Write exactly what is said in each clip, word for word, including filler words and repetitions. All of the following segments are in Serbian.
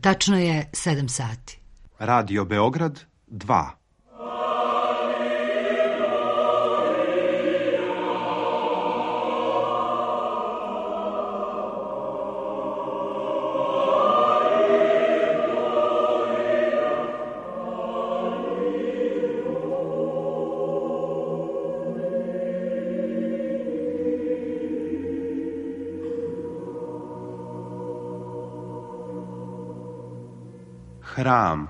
Tačno je sedam sati. Radio Beograd dva. Hram.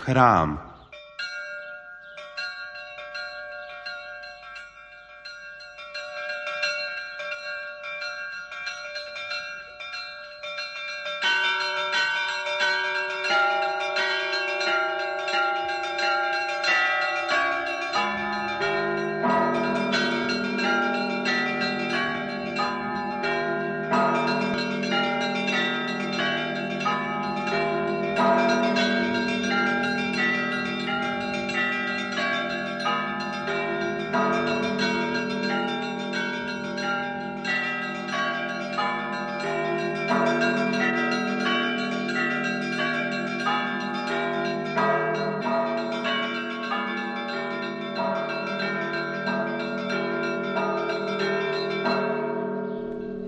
Hram.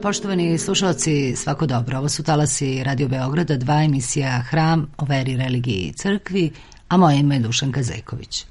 Poštovani slušalci, svako dobro. Ovo su talasi Radio Beograda, dva, emisija Hram o veri, religiji i crkvi, a moje ime je Dušanka Zejković.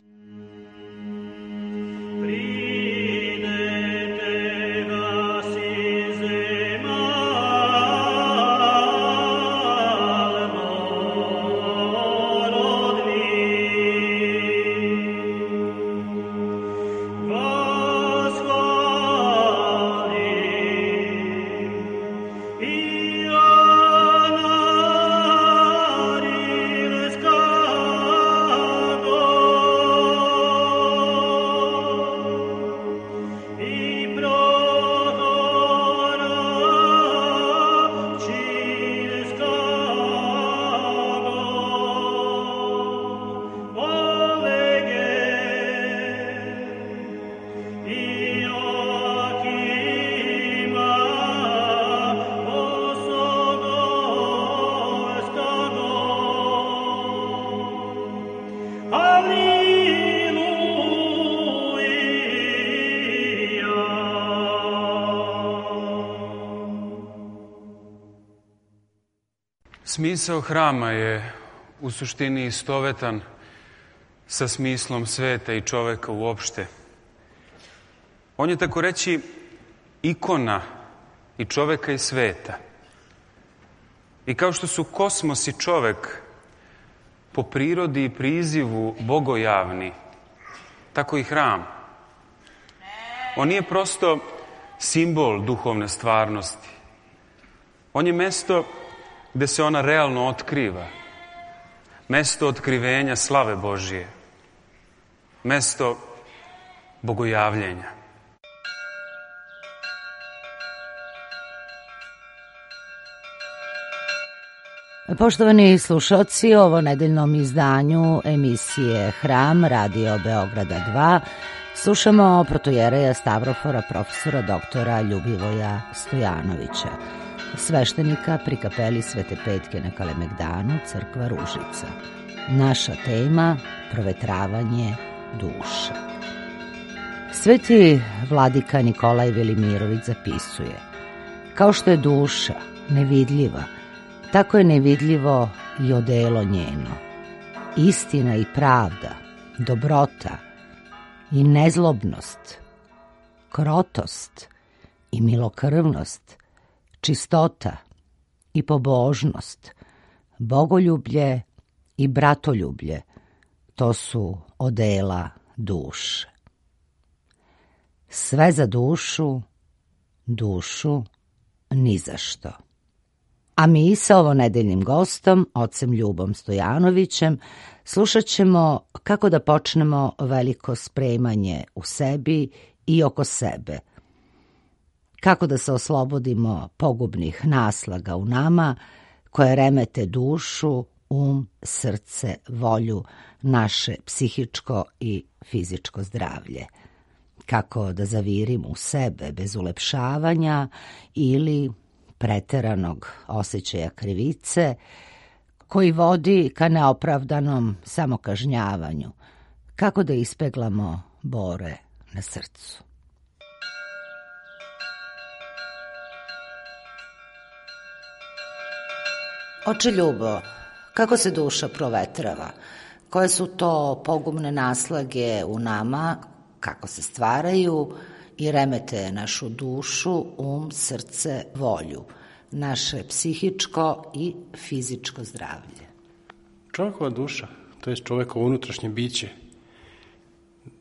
Smisao hrama je u suštini istovetan sa smislom sveta i čoveka uopšte. On je, tako reći, ikona i čoveka i sveta. I kao što su kosmos i čovek po prirodi i prizivu bogojavni, tako i hram. On nije prosto simbol duhovne stvarnosti. On je mesto gde se ona realno otkriva. Mesto otkrivenja slave Božije. Mesto bogojavljenja. Poštovani slušalci, ovo nedeljnom izdanju emisije Hram Radio Beograda dva slušamo protojereja Stavrofora profesora doktora Ljubivoja Stojanovića, sveštenika pri kapeli Svete Petke na Kalemegdanu, crkva Ružica. Naša tema – provetravanje duše. Sveti vladika Nikolaj Velimirović zapisuje: kao što je duša nevidljiva, tako je nevidljivo i odelo njeno. Istina i pravda, dobrota i nezlobnost, krotost i milokrvnost, čistota i pobožnost, bogoljublje i bratoljublje, to su odela duše. Sve za dušu, dušu ni za što. A mi sa ovonedeljnim gostom, ocem Ljubom Stojanovićem, slušat ćemo kako da počnemo veliko spremanje u sebi i oko sebe. Kako da se oslobodimo pogubnih naslaga u nama koje remete dušu, um, srce, volju, naše psihičko i fizičko zdravlje. Kako da zavirimo u sebe bez ulepšavanja ili preteranog osjećaja krivice koji vodi ka neopravdanom samokažnjavanju. Kako da ispeglamo bore na srcu. Oče Ljubo, kako se duša provetrava? Koje su to pogubne naslage u nama, kako se stvaraju i remete našu dušu, um, srce, volju, naše psihičko i fizičko zdravlje? Čovjekova duša, to je čovjekovo unutrašnje biće,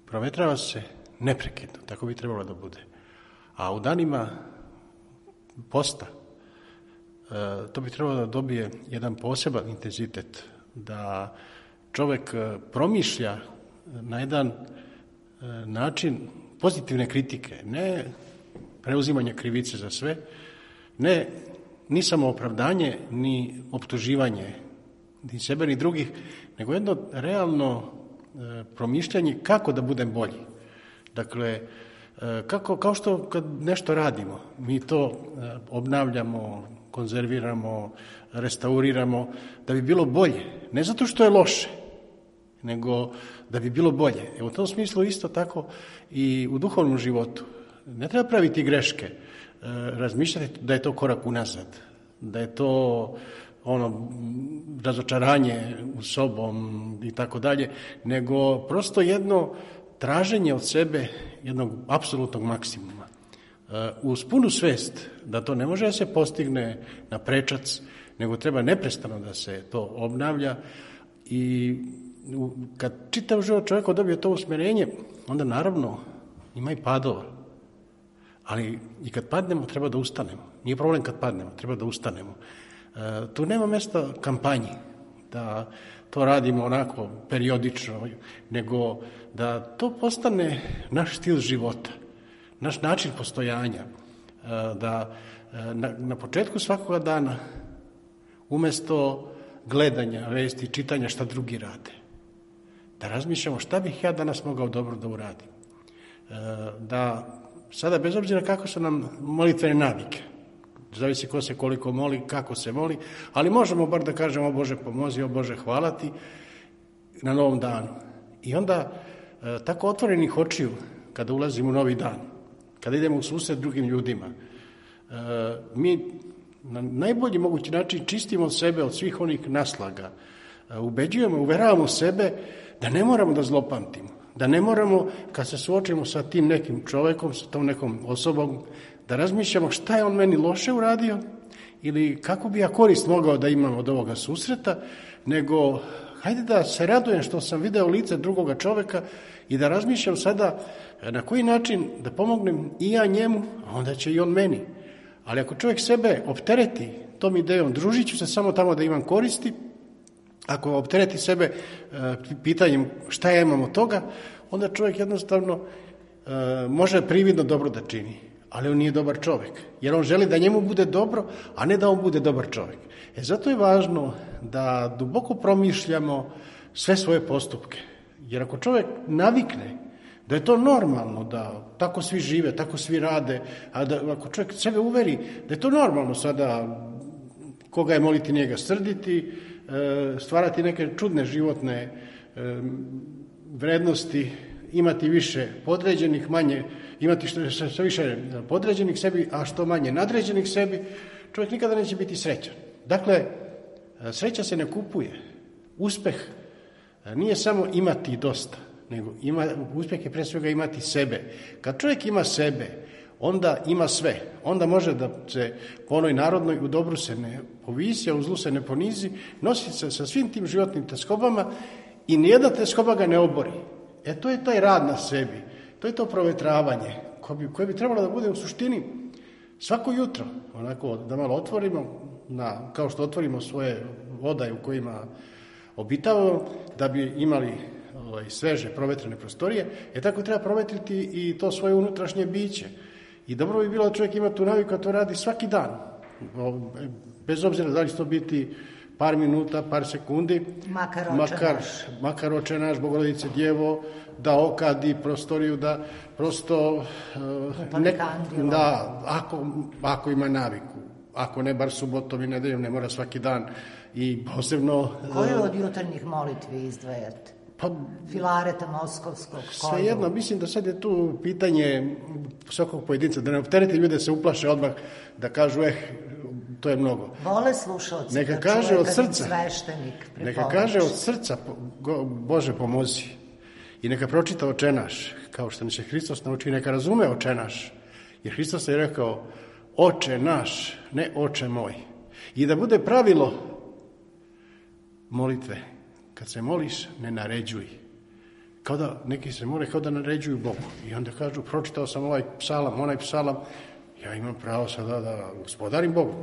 provetrava se neprekidno, tako bi trebalo da bude. A u danima posta to bi trebalo da dobije jedan poseban intenzitet, da čovjek promišlja na jedan način pozitivne kritike, ne preuzimanje krivice za sve, ne ni samo opravdanje, ni optuživanje ni sebe ni drugih, nego jedno realno promišljanje kako da budem bolji. Dakle, kako, kao što kad nešto radimo, mi to obnavljamo, konzerviramo, restauriramo, da bi bilo bolje. Ne zato što je loše, nego da bi bilo bolje. E u tom smislu isto tako i u duhovnom životu. Ne treba praviti greške, razmišljati da je to korak unazad, da je to ono razočaranje u sobom i tako dalje, nego prosto jedno traženje od sebe jednog apsolutnog maksimuma. Uz punu svest da to ne može da se postigne na prečac, nego treba neprestano da se to obnavlja i kad čitav život čovjek dobije to usmjerenje, onda naravno ima i padova. Ali i kad padnemo, treba da ustanemo. Nije problem kad padnemo, treba da ustanemo. E, tu nema mjesta kampanji, da to radimo onako periodično, nego da to postane naš stil života, naš način postojanja, e, da e, na, na početku svakoga dana, umjesto gledanja, vesti, čitanja šta drugi rade, da razmišljamo šta bih ja danas mogao dobro da uradim. E, da sada, bez obzira kako su nam molitvene navike, zavisi ko se koliko moli, kako se moli, ali možemo bar da kažemo o Bože pomozi, o Bože hvala ti na novom danu. I onda e, tako otvorenih očiju kada ulazimo u novi dan, kada idemo u susret drugim ljudima, e, mi na najbolji mogući način čistimo sebe od svih onih naslaga, e, ubeđujemo, uveravamo sebe da ne moramo da zlopamtimo, da ne moramo, kad se suočimo sa tim nekim čovjekom, sa tom nekom osobom, da razmišljamo šta je on meni loše uradio ili kako bi ja korist mogao da imam od ovoga susreta, nego hajde da se radujem što sam video lice drugoga čovjeka i da razmišljam sada na koji način da pomognem i ja njemu, a onda će i on meni. Ali ako čovjek sebe optereti tom idejom, družit ću se samo tamo da imam koristi, ako optereti sebe pitanjem šta ja imam od toga, onda čovjek jednostavno može prividno dobro da čini, ali on nije dobar čovjek, jer on želi da njemu bude dobro, a ne da on bude dobar čovjek. E zato je važno da duboko promišljamo sve svoje postupke, jer ako čovjek navikne da je to normalno, da tako svi žive, tako svi rade, a da ako čovjek sebe uveri da je to normalno sada koga je moliti njega srditi, stvarati neke čudne životne vrednosti, imati više podređenih, manje, imati što, što više podređenih sebi, a što manje nadređenih sebi, čovjek nikada neće biti srećan. Dakle, sreća se ne kupuje. Uspeh nije samo imati dosta, nego ima, uspjeh je pre svega imati sebe. Kad čovjek ima sebe, onda ima sve. Onda može da se po onoj narodnoj u dobru se ne povisi, a u zlu se ne ponizi, nosi se sa svim tim životnim teskobama i nijedna teskoba ga ne obori. E to je taj rad na sebi, to je to provetravanje koje bi, koje bi trebalo da bude u suštini svako jutro, onako da malo otvorimo na, kao što otvorimo svoje vodaje u kojima obitavamo, da bi imali ovaj, sveže, provetrene prostorije, je tako treba provetriti i to svoje unutrašnje biće. I dobro bi bilo da čovjek ima tu naviku, a to radi svaki dan. Bez obzira da li će to biti par minuta, par sekundi, makar oče makar, naš, makar oče naš, Bogorodice Djevo, da okadi prostoriju, da prosto uh, ne, da, ako, ako ima naviku, ako ne bar subotom i nedeljom, ne mora svaki dan i posebno... Koju od jutarnjih molitvi izdvajate? Pa, Filareta Moskovskog, sve jedno, mislim da sad je tu pitanje svakog pojedinca, da ne optereti ljude, se uplaše odmah, da kažu, eh, to je mnogo. Vole slušalci, neka kaže od srca, sveštenik neka kaže od srca, Bože pomozi, i neka pročita Oče naš, kao što nas je Hristos nauči, neka razume Oče naš, jer Hristos je rekao, Oče naš, ne Oče moj, i da bude pravilo molitve. Kad se moliš, ne naređuj. Kao da, neki se mole kao da naređuju Bogu. I onda kažu, pročitao sam ovaj psalam, onaj psalam, ja imam pravo sada da gospodarim Bogu.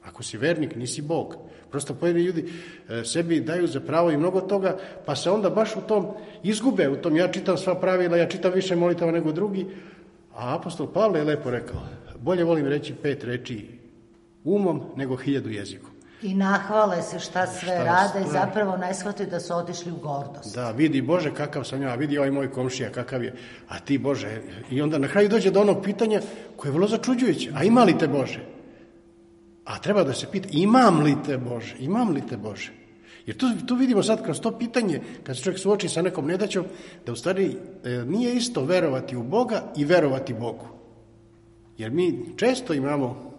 Ako si vernik, nisi Bog. Prosto pojedini ljudi e, sebi daju za pravo i mnogo toga, pa se onda baš u tom izgube, u tom ja čitam sva pravila, ja čitam više molitava nego drugi. A apostol Pavle je lepo rekao, bolje volim reći pet reči umom nego hiljadu jezikom. I nahvale se šta sve šta rade i sve. zapravo ne shvataju da su otišli u gordost. Da, vidi Bože kakav sam ja, vidi ovaj moj komšija kakav je, a ti Bože. I onda na kraju dođe do onog pitanja koje je vrlo začuđujuće, a ima li te Bože? A treba da se pita, imam li te Bože? Imam li te Bože? Jer tu, tu vidimo sad kroz to pitanje, kad se čovjek suoči sa nekom nedaćom, da u stvari e, nije isto verovati u Boga i verovati Bogu. Jer mi često imamo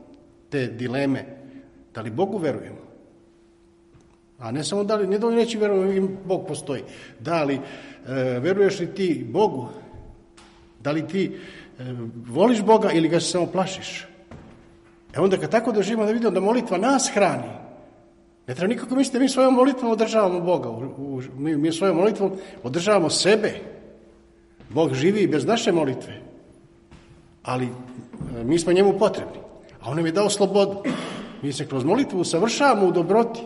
te dileme, da li Bogu verujemo? A ne samo da li, ne dovoljno reći verujemo, Bog postoji. Da li e, veruješ li ti Bogu? Da li ti e, voliš Boga ili ga se samo plašiš? E onda kad tako doživimo da vidimo da molitva nas hrani, ne treba nikako misliti da mi svojom molitvom održavamo Boga. U, u, mi, mi svojom molitvom održavamo sebe. Bog živi i bez naše molitve. Ali e, mi smo njemu potrebni. A on nam je dao slobodu. Mi se kroz molitvu usavršavamo u dobroti,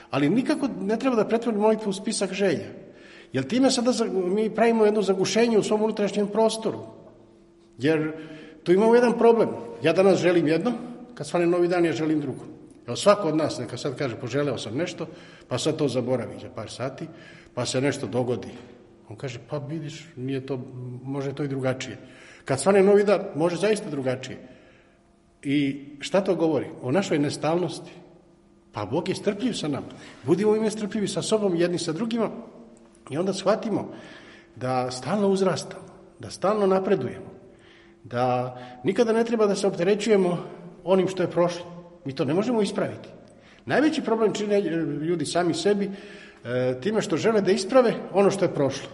ali nikako ne treba da pretvorimo molitvu u spisak želja. Jer time sada mi pravimo jedno zagušenje u svom unutrašnjem prostoru. Jer tu imamo jedan problem. Ja danas želim jedno, kad svane novi dan ja želim drugo. Evo svako od nas neka sad kaže poželeo sam nešto, pa sad to zaboravi za par sati, pa se nešto dogodi. On kaže pa vidiš, nije to, može to i drugačije. Kad svane novi dan, može zaista drugačije. I šta to govori? O našoj nestalnosti. Pa Bog je strpljiv sa nama. Budimo im strpljivi sa sobom, jedni sa drugima, i onda shvatimo da stalno uzrastamo, da stalno napredujemo, da nikada ne treba da se opterećujemo onim što je prošlo. Mi to ne možemo ispraviti. Najveći problem čine ljudi sami sebi e, time što žele da isprave ono što je prošlo.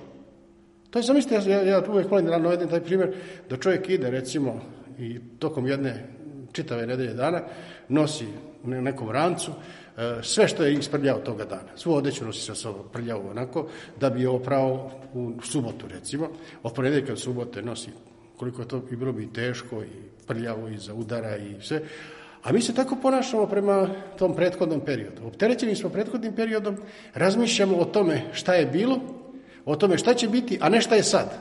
To je, zamislite, ja, ja uvijek volim da navedem taj primjer, da čovjek ide, recimo, i tokom jedne čitave nedelje dana, nosi u nekom rancu sve što je isprljao toga dana. Svu odeću nosi sa sobom prljavo onako, da bi je oprao u subotu, recimo. Od ponedjeljka do subote nosi, koliko to bi bilo bi teško i prljavo i za udara i sve. A mi se tako ponašamo prema tom prethodnom periodu. Opterećeni smo prethodnim periodom, razmišljamo o tome šta je bilo, o tome šta će biti, a ne šta je sad.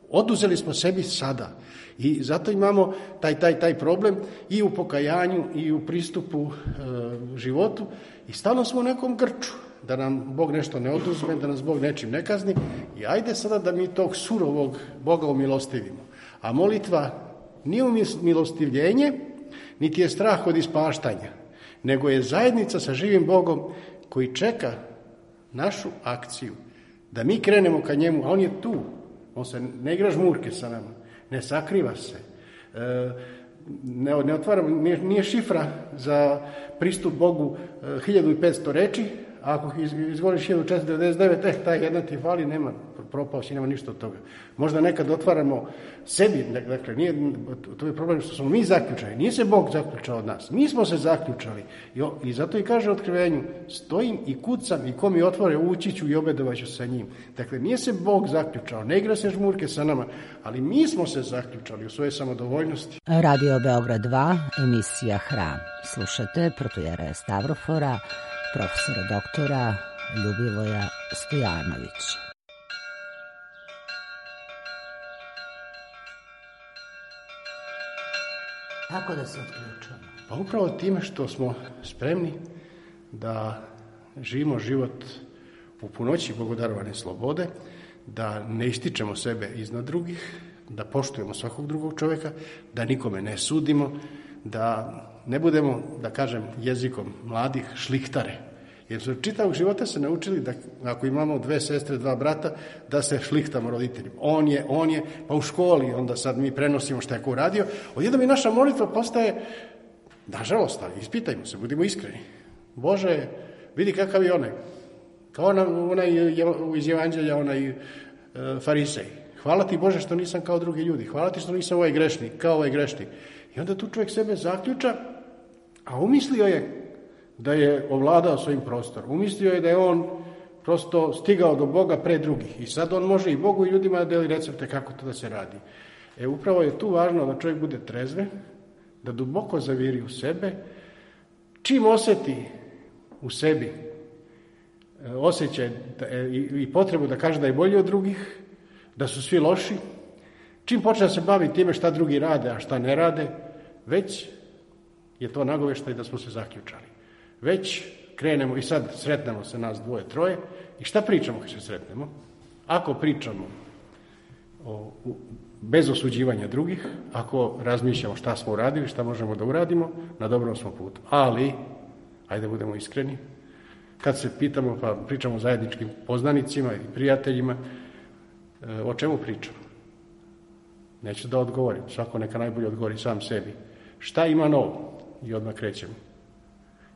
Oduzeli smo sebi sada. I zato imamo taj, taj, taj problem i u pokajanju i u pristupu e, životu i stalno smo u nekom grču, da nam Bog nešto ne oduzme, da nas Bog nečim ne kazni i ajde sada da mi tog surovog Boga umilostivimo. A molitva nije umilostivljenje, niti je strah od ispaštanja, nego je zajednica sa živim Bogom koji čeka našu akciju, da mi krenemo ka njemu, a on je tu, on se ne igra žmurke sa nama. Ne sakriva se, ne, ne otvara, nije, nije šifra za pristup Bogu hiljadu i petsto reči, A ako iz, izvoliš hiljadu četiristo devedeset devet, eh, taj jedan ti fali, nema, propao si, nema ništa od toga. Možda nekad otvaramo sebi, dakle, nije, to je problem što smo mi zaključali, nije se Bog zaključao od nas, mi smo se zaključali. I, i zato i kaže u Otkrivenju, stojim i kucam i ko mi otvore, ući ću i obedovaću sa njim. Dakle, nije se Bog zaključao, ne igra se žmurke sa nama, ali mi smo se zaključali u svojoj samodovoljnosti. Radio Beograd dva, emisija Hram. Slušate protojereja Stavrofora, profesora doktora Ljubivoja Stojanovića. Kako da se otključamo? Pa upravo time što smo spremni da živimo život u punoći Bogodarovane slobode, da ne ističemo sebe iznad drugih, da poštujemo svakog drugog čovjeka, da nikome ne sudimo, da ne budemo, da kažem jezikom mladih, šlihtare. Jer su čitavog života se naučili da ako imamo dve sestre, dva brata, da se šlihtamo roditeljima. On je, on je, pa u školi, onda sad mi prenosimo šta je ko uradio. Odjednom i naša molitva postaje, nažalost, ali ispitajmo se, budimo iskreni. Bože, vidi kakav je onaj. Kao onaj, onaj iz Evanđelja, onaj e, farisej. Hvala ti Bože što nisam kao drugi ljudi. Hvala ti što nisam ovaj grešnik, kao ovaj grešnik. I onda tu čovjek sebe zaključa, a umislio je da je ovladao svojim prostorom. Umislio je da je on prosto stigao do Boga pre drugih. I sad on može i Bogu i ljudima da deli recepte kako to da se radi. E, upravo je tu važno da čovjek bude trezve, da duboko zaviri u sebe. Čim osjeti u sebi osjećaj i potrebu da kaže da je bolji od drugih, da su svi loši, čim počne da se bavi time šta drugi rade, a šta ne rade, već je to nagoveštaj da smo se zaključali. Već krenemo i sad sretnemo se nas dvoje, troje i šta pričamo kad se sretnemo? Ako pričamo o, u, bez osuđivanja drugih, ako razmišljamo šta smo uradili, šta možemo da uradimo, na dobrom smo putu. Ali, ajde budemo iskreni, kad se pitamo pa pričamo o zajedničkim poznanicima i prijateljima, o čemu pričamo? Neću da odgovorim, svako neka najbolje odgovori sam sebi. Šta ima novo? I odmah krećemo.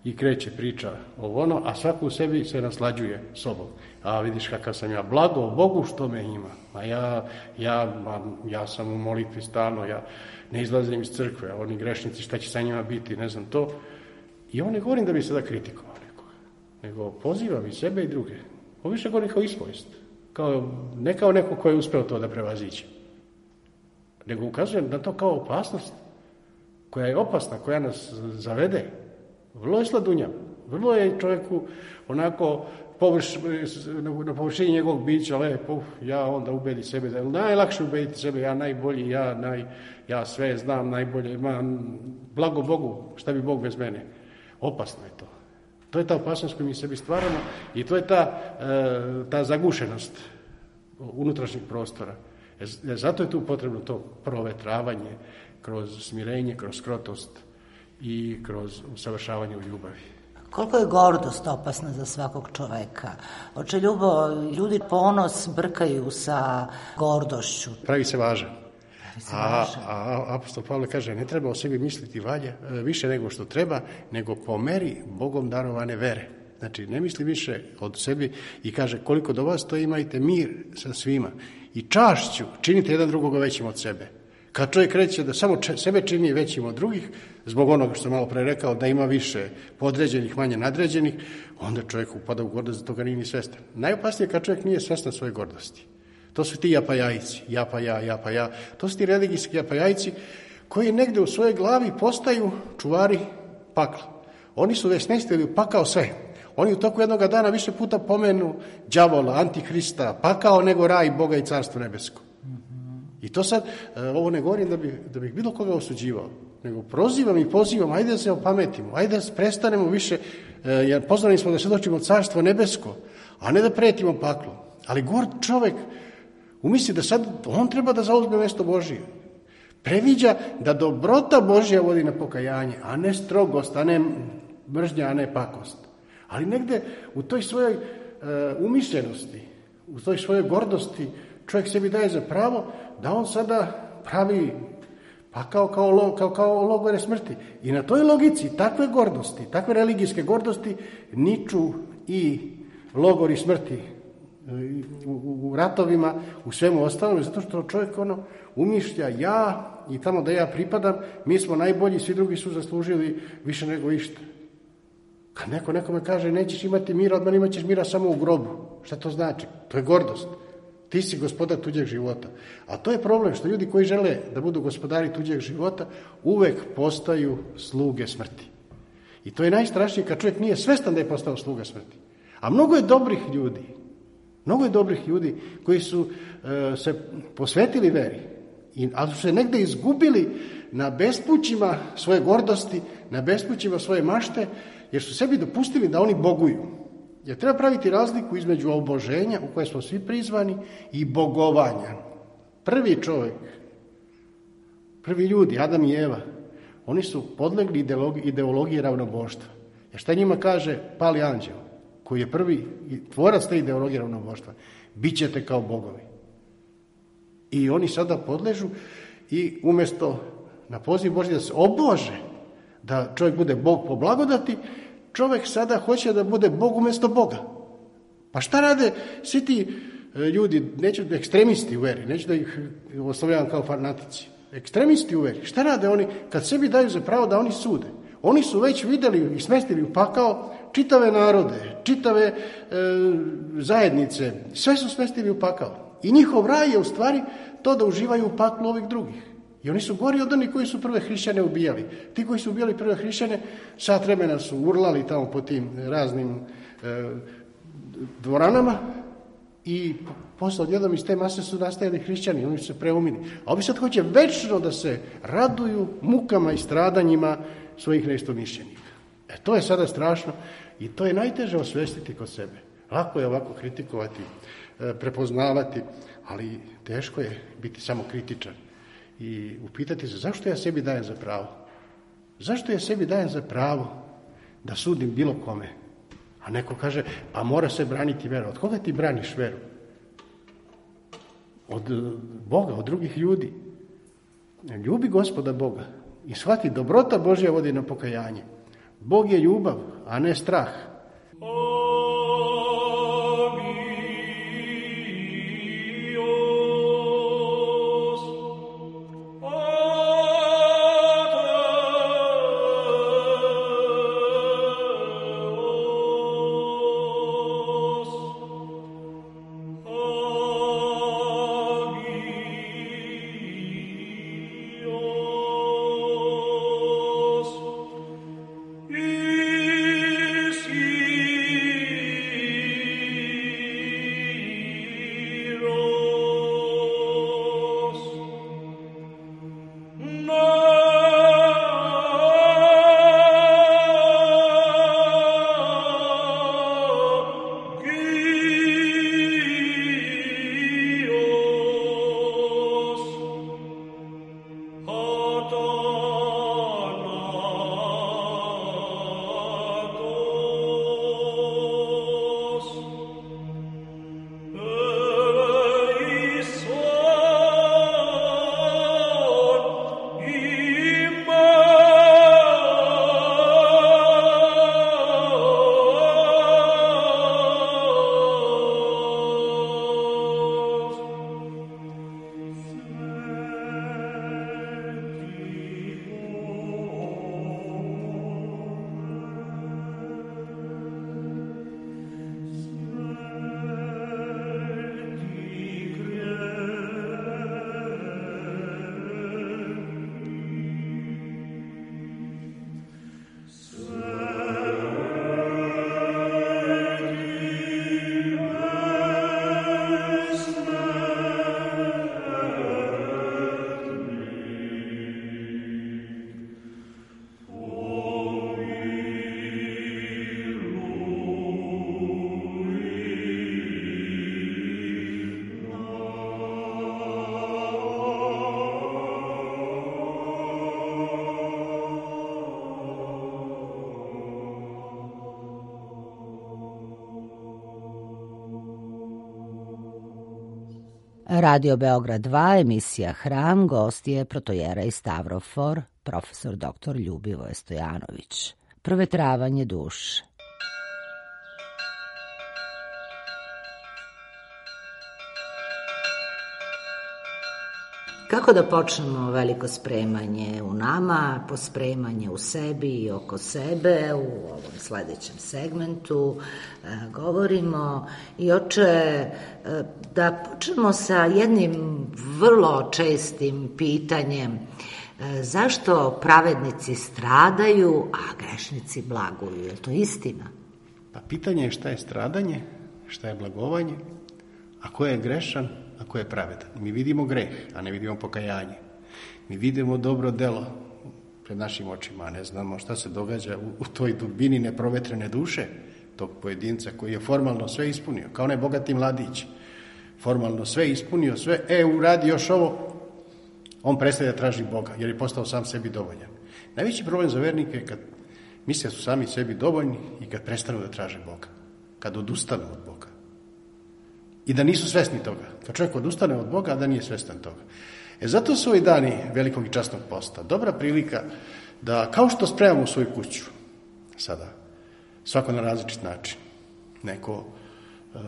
I kreće priča o ono, a svako u sebi se naslađuje sobom. A vidiš kakav sam ja, blago Bogu što me ima. A ja, ja, ja sam u molitvi stalno, ja ne izlazim iz crkve, a oni grešnici šta će sa njima biti, ne znam to. I ovo ne govorim da bi sada kritikovao nekoga, nego pozivam i sebe i druge. Ovo više govorim kao ispovijest. Kao, ne kao neko ko je uspeo to da prevaziće, nego ukazujem na to kao opasnost koja je opasna, koja nas zavede. Vrlo je sladunja, vrlo je čovjeku onako površ, na površini njegovog bića lepo, ja onda ubedi sebe, da je najlakše ubediti sebe, ja najbolji, ja, naj, ja sve znam najbolje, ma, blago Bogu, šta bi Bog bez mene. Opasno je to. To je ta opasnost koju mi sebi stvaramo i to je ta, ta zagušenost unutrašnjeg prostora. Zato je tu potrebno to provetravanje kroz smirenje, kroz krotost i kroz usavršavanje u ljubavi. Koliko je gordost opasna za svakog čoveka? Oče Ljubo, ljudi ponos brkaju sa gordošću. Pravi se važan. A, a apostol Pavle kaže, ne treba o sebi misliti valja, više nego što treba, nego po meri Bogom darovane vere. Znači, ne misli više od sebi i kaže, koliko do vas to imajte mir sa svima. I čašću činite jedan drugoga većim od sebe. Kad čovjek kreće da samo sebe čini većim od drugih, zbog onoga što sam malo pre rekao, da ima više podređenih, manje nadređenih, onda čovjek upada u gordost, za toga nije ni svestan. Najopasnije kad čovjek nije svestan svoje gordosti. To su ti japajajci, ja pa ja, ja pa ja. To su ti religijski japajajci koji negde u svojoj glavi postaju čuvari pakla. Oni su već smestili pakao sve. Oni u toku jednog dana više puta pomenu đavola, antihrista, pakao nego raj Boga i carstvo nebesko. I to sad, ovo ne govorim da bih, da bih bilo koga osuđivao, nego prozivam i pozivam, ajde da se opametimo, ajde da prestanemo više, jer pozvani smo da svjedočimo carstvo nebesko, a ne da pretimo paklom. Ali gord čovek umisli da sad on treba da zauzme mjesto Božije. Previđa da dobrota Božja vodi na pokajanje, a ne strogost, a ne mržnja, a ne pakost. Ali negde u toj svojoj uh, umišljenosti, u toj svojoj gordosti, čovjek sebi daje za pravo da on sada pravi pakao kao, kao, kao logore smrti. I na toj logici takve gordosti, takve religijske gordosti niču i logori smrti u, u ratovima, u svemu ostalom, zato što čovjek ono umišlja ja i tamo da ja pripadam, mi smo najbolji, svi drugi su zaslužili više nego išta. Kad neko nekome kaže nećeš imati mira, odmah imat ćeš mira samo u grobu. Šta to znači? To je gordost. Ti si gospodar tuđeg života. A to je problem što ljudi koji žele da budu gospodari tuđeg života uvek postaju sluge smrti. I to je najstrašnije kad čovjek nije svestan da je postao sluga smrti. A mnogo je dobrih ljudi, mnogo je dobrih ljudi koji su e, se posvetili veri, i, ali su se negde izgubili na bespućima svoje gordosti, na bespućima svoje mašte, jer su sebi dopustili da oni boguju. Jer treba praviti razliku između oboženja, u koje smo svi prizvani, i bogovanja. Prvi čovjek, prvi ljudi, Adam i Eva, oni su podlegli ideologiji, ideologiji ravnoboštva. Jer šta njima kaže pali anđeo, koji je prvi tvorac te ideologije ravnoboštva? Bićete kao bogovi. I oni sada podležu i umjesto na poziv Božji da se obože, da čovjek bude Bog po blagodati, čovjek sada hoće da bude Bog umjesto Boga. Pa šta rade svi ti ljudi, neću da ekstremisti u veri, neću da ih oslovljavam kao fanatici, ekstremisti u veri, šta rade oni kad sebi daju za pravo da oni sude? Oni su već vidjeli i smestili u pakao čitave narode, čitave e, zajednice, sve su smestili u pakao. I njihov raj je u stvari to da uživaju u paklu ovih drugih. I oni su gori od onih koji su prve hrišćane ubijali. Ti koji su ubijali prve hrišćane, sat vremena su urlali tamo po tim raznim e, dvoranama i posle odjednom iz te mase su nastajali hrišćani, oni su se preumili. A ovi sad hoće večno da se raduju mukama i stradanjima svojih neistomišljenika. E to je sada strašno i to je najteže osvestiti kod sebe. Lako je ovako kritikovati, e, prepoznavati, ali teško je biti samo kritičan. I upitati se zašto ja sebi dajem za pravo? Zašto ja sebi dajem za pravo da sudim bilo kome? A neko kaže, pa mora se braniti vera. Od koga ti braniš veru? Od Boga, od drugih ljudi. Ljubi Gospoda Boga i shvati, dobrota Božja vodi na pokajanje. Bog je ljubav, a ne strah. Radio Beograd dva, emisija Hram, gost je protojera i stavrofor, profesor doktor Ljubivoje Stojanović. Provetravanje duše. Kako da počnemo veliko spremanje u nama, pospremanje u sebi i oko sebe, u ovom sledećem segmentu e, govorimo. I oče, e, da počnemo sa jednim vrlo čestim pitanjem, e, zašto pravednici stradaju, a grešnici blaguju? Je to istina? Pa pitanje je šta je stradanje, šta je blagovanje, a ko je grešan, a ko je pravedan. Mi vidimo greh, a ne vidimo pokajanje. Mi vidimo dobro delo pred našim očima, a ne znamo šta se događa u, u toj dubini neprovetrene duše tog pojedinca koji je formalno sve ispunio, kao onaj bogati mladić. Formalno sve ispunio, sve, e, uradi još ovo, on prestaje da traži Boga, jer je postao sam sebi dovoljan. Najveći problem za vernike je kad misle da su sami sebi dovoljni i kad prestanu da traže Boga, kad odustanu od Boga. I da nisu svesni toga. Kad čovjek odustane od Boga, a da nije svestan toga. E zato su ovi dani velikog i časnog posta dobra prilika da, kao što spremamo svoju kuću sada, svako na različit način, neko e,